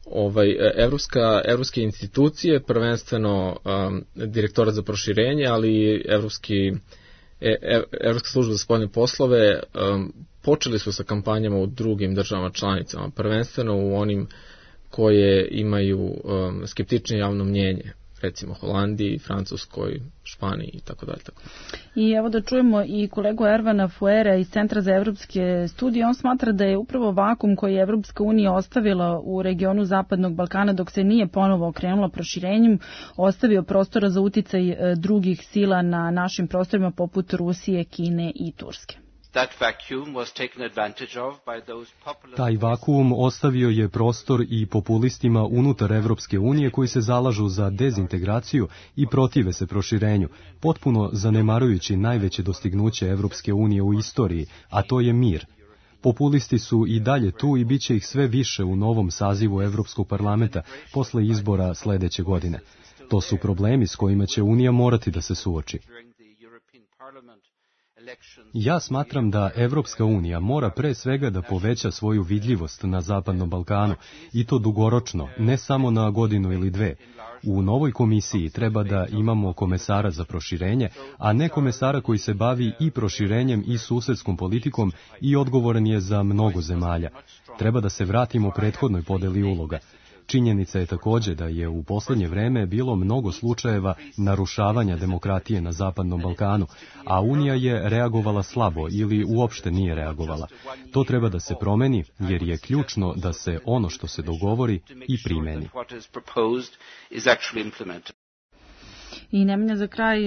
Ovaj, evropska, evropske institucije, prvenstveno um, direktorat za proširenje, ali i evropski, e, Evropska služba za spoljne poslove um, počeli su sa kampanjama u drugim državama članicama, prvenstveno u onim koje imaju um, skeptičnije javno mnjenje, recimo Holandiji, Francuskoj, Španiji i tako dalje. I evo da čujemo i kolegu Ervana Fuera iz Centra za evropske studije. On smatra da je upravo vakum koji je Evropska unija ostavila u regionu Zapadnog Balkana dok se nije ponovo okrenula proširenjem, ostavio prostora za uticaj drugih sila na našim prostorima poput Rusije, Kine i Turske. Taj vakuum ostavio je prostor i populistima unutar Evropske unije koji se zalažu za dezintegraciju i protive se proširenju, potpuno zanemarujući najveće dostignuće Evropske unije u istoriji, a to je mir. Populisti su i dalje tu i bit će ih sve više u novom sazivu Evropskog parlamenta posle izbora sledeće godine. To su problemi s kojima će Unija morati da se suoči. Ja smatram da Evropska unija mora pre svega da poveća svoju vidljivost na Zapadnom Balkanu i to dugoročno, ne samo na godinu ili dve. U novoj komisiji treba da imamo komesara za proširenje, a ne komesara koji se bavi i proširenjem i susedskom politikom i odgovoran je za mnogo zemalja. Treba da se vratimo prethodnoj podeli uloga. Činjenica je takođe da je u poslednje vreme bilo mnogo slučajeva narušavanja demokratije na Zapadnom Balkanu, a Unija je reagovala slabo ili uopšte nije reagovala. To treba da se promeni, jer je ključno da se ono što se dogovori i primeni. I Nemanja, za kraj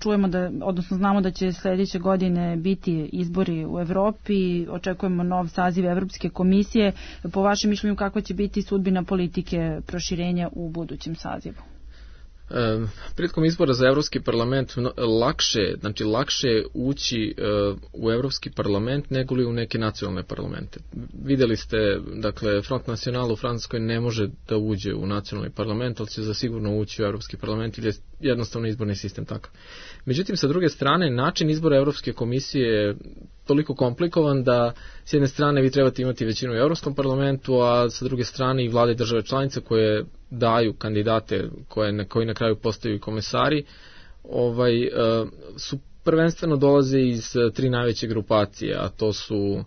čujemo da, odnosno znamo da će sledeće godine biti izbori u Evropi, očekujemo nov saziv Evropske komisije. Po vašem mišljenju, kakva će biti sudbina politike proširenja u budućem sazivu? E, prilikom izbora za Evropski parlament lakše, znači lakše ući e, u Evropski parlament nego li u neke nacionalne parlamente. Videli ste, dakle, Front National u Francuskoj ne može da uđe u nacionalni parlament, ali će zasigurno ući u Evropski parlament ili je jednostavno izborni sistem takav. Međutim, sa druge strane, način izbora Evropske komisije je toliko komplikovan da s jedne strane vi trebate imati većinu u Evropskom parlamentu, a sa druge strane i vlade države članice koje daju kandidate koje na, koji na kraju postaju komesari, ovaj, su prvenstveno dolaze iz tri najveće grupacije, a to su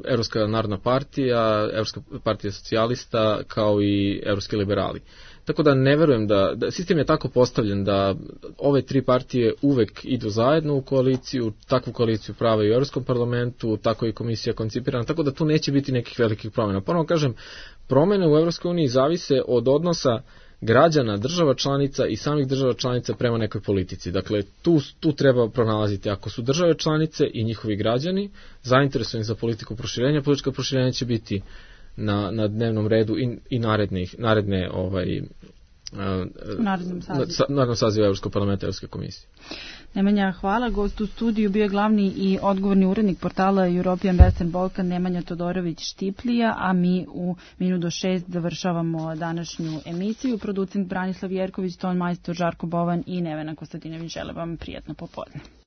Evropska narodna partija, Evropska partija socijalista, kao i Evropski liberali. Tako da ne verujem da, da sistem je tako postavljen da ove tri partije uvek idu zajedno u koaliciju, takvu koaliciju prave i u Evropskom parlamentu, tako i komisija koncipirana, tako da tu neće biti nekih velikih promjena. Ponovno kažem, promjene u Evropskoj uniji zavise od odnosa građana, država članica i samih država članica prema nekoj politici. Dakle, tu, tu treba pronalaziti. Ako su države članice i njihovi građani zainteresovani za politiku proširenja, politička proširenja će biti na, na dnevnom redu i, i narednih, naredne ovaj, u narednom sazivu Evropskog parlamenta i Evropske komisije. Nemanja, hvala. Gost u studiju bio je glavni i odgovorni urednik portala European Western Balkan Nemanja Todorović-Štiplija, a mi u minut do šest završavamo današnju emisiju. Producent Branislav Jerković, ton majstor Žarko Bovan i Nevena Kostadinović žele vam prijatno popodne.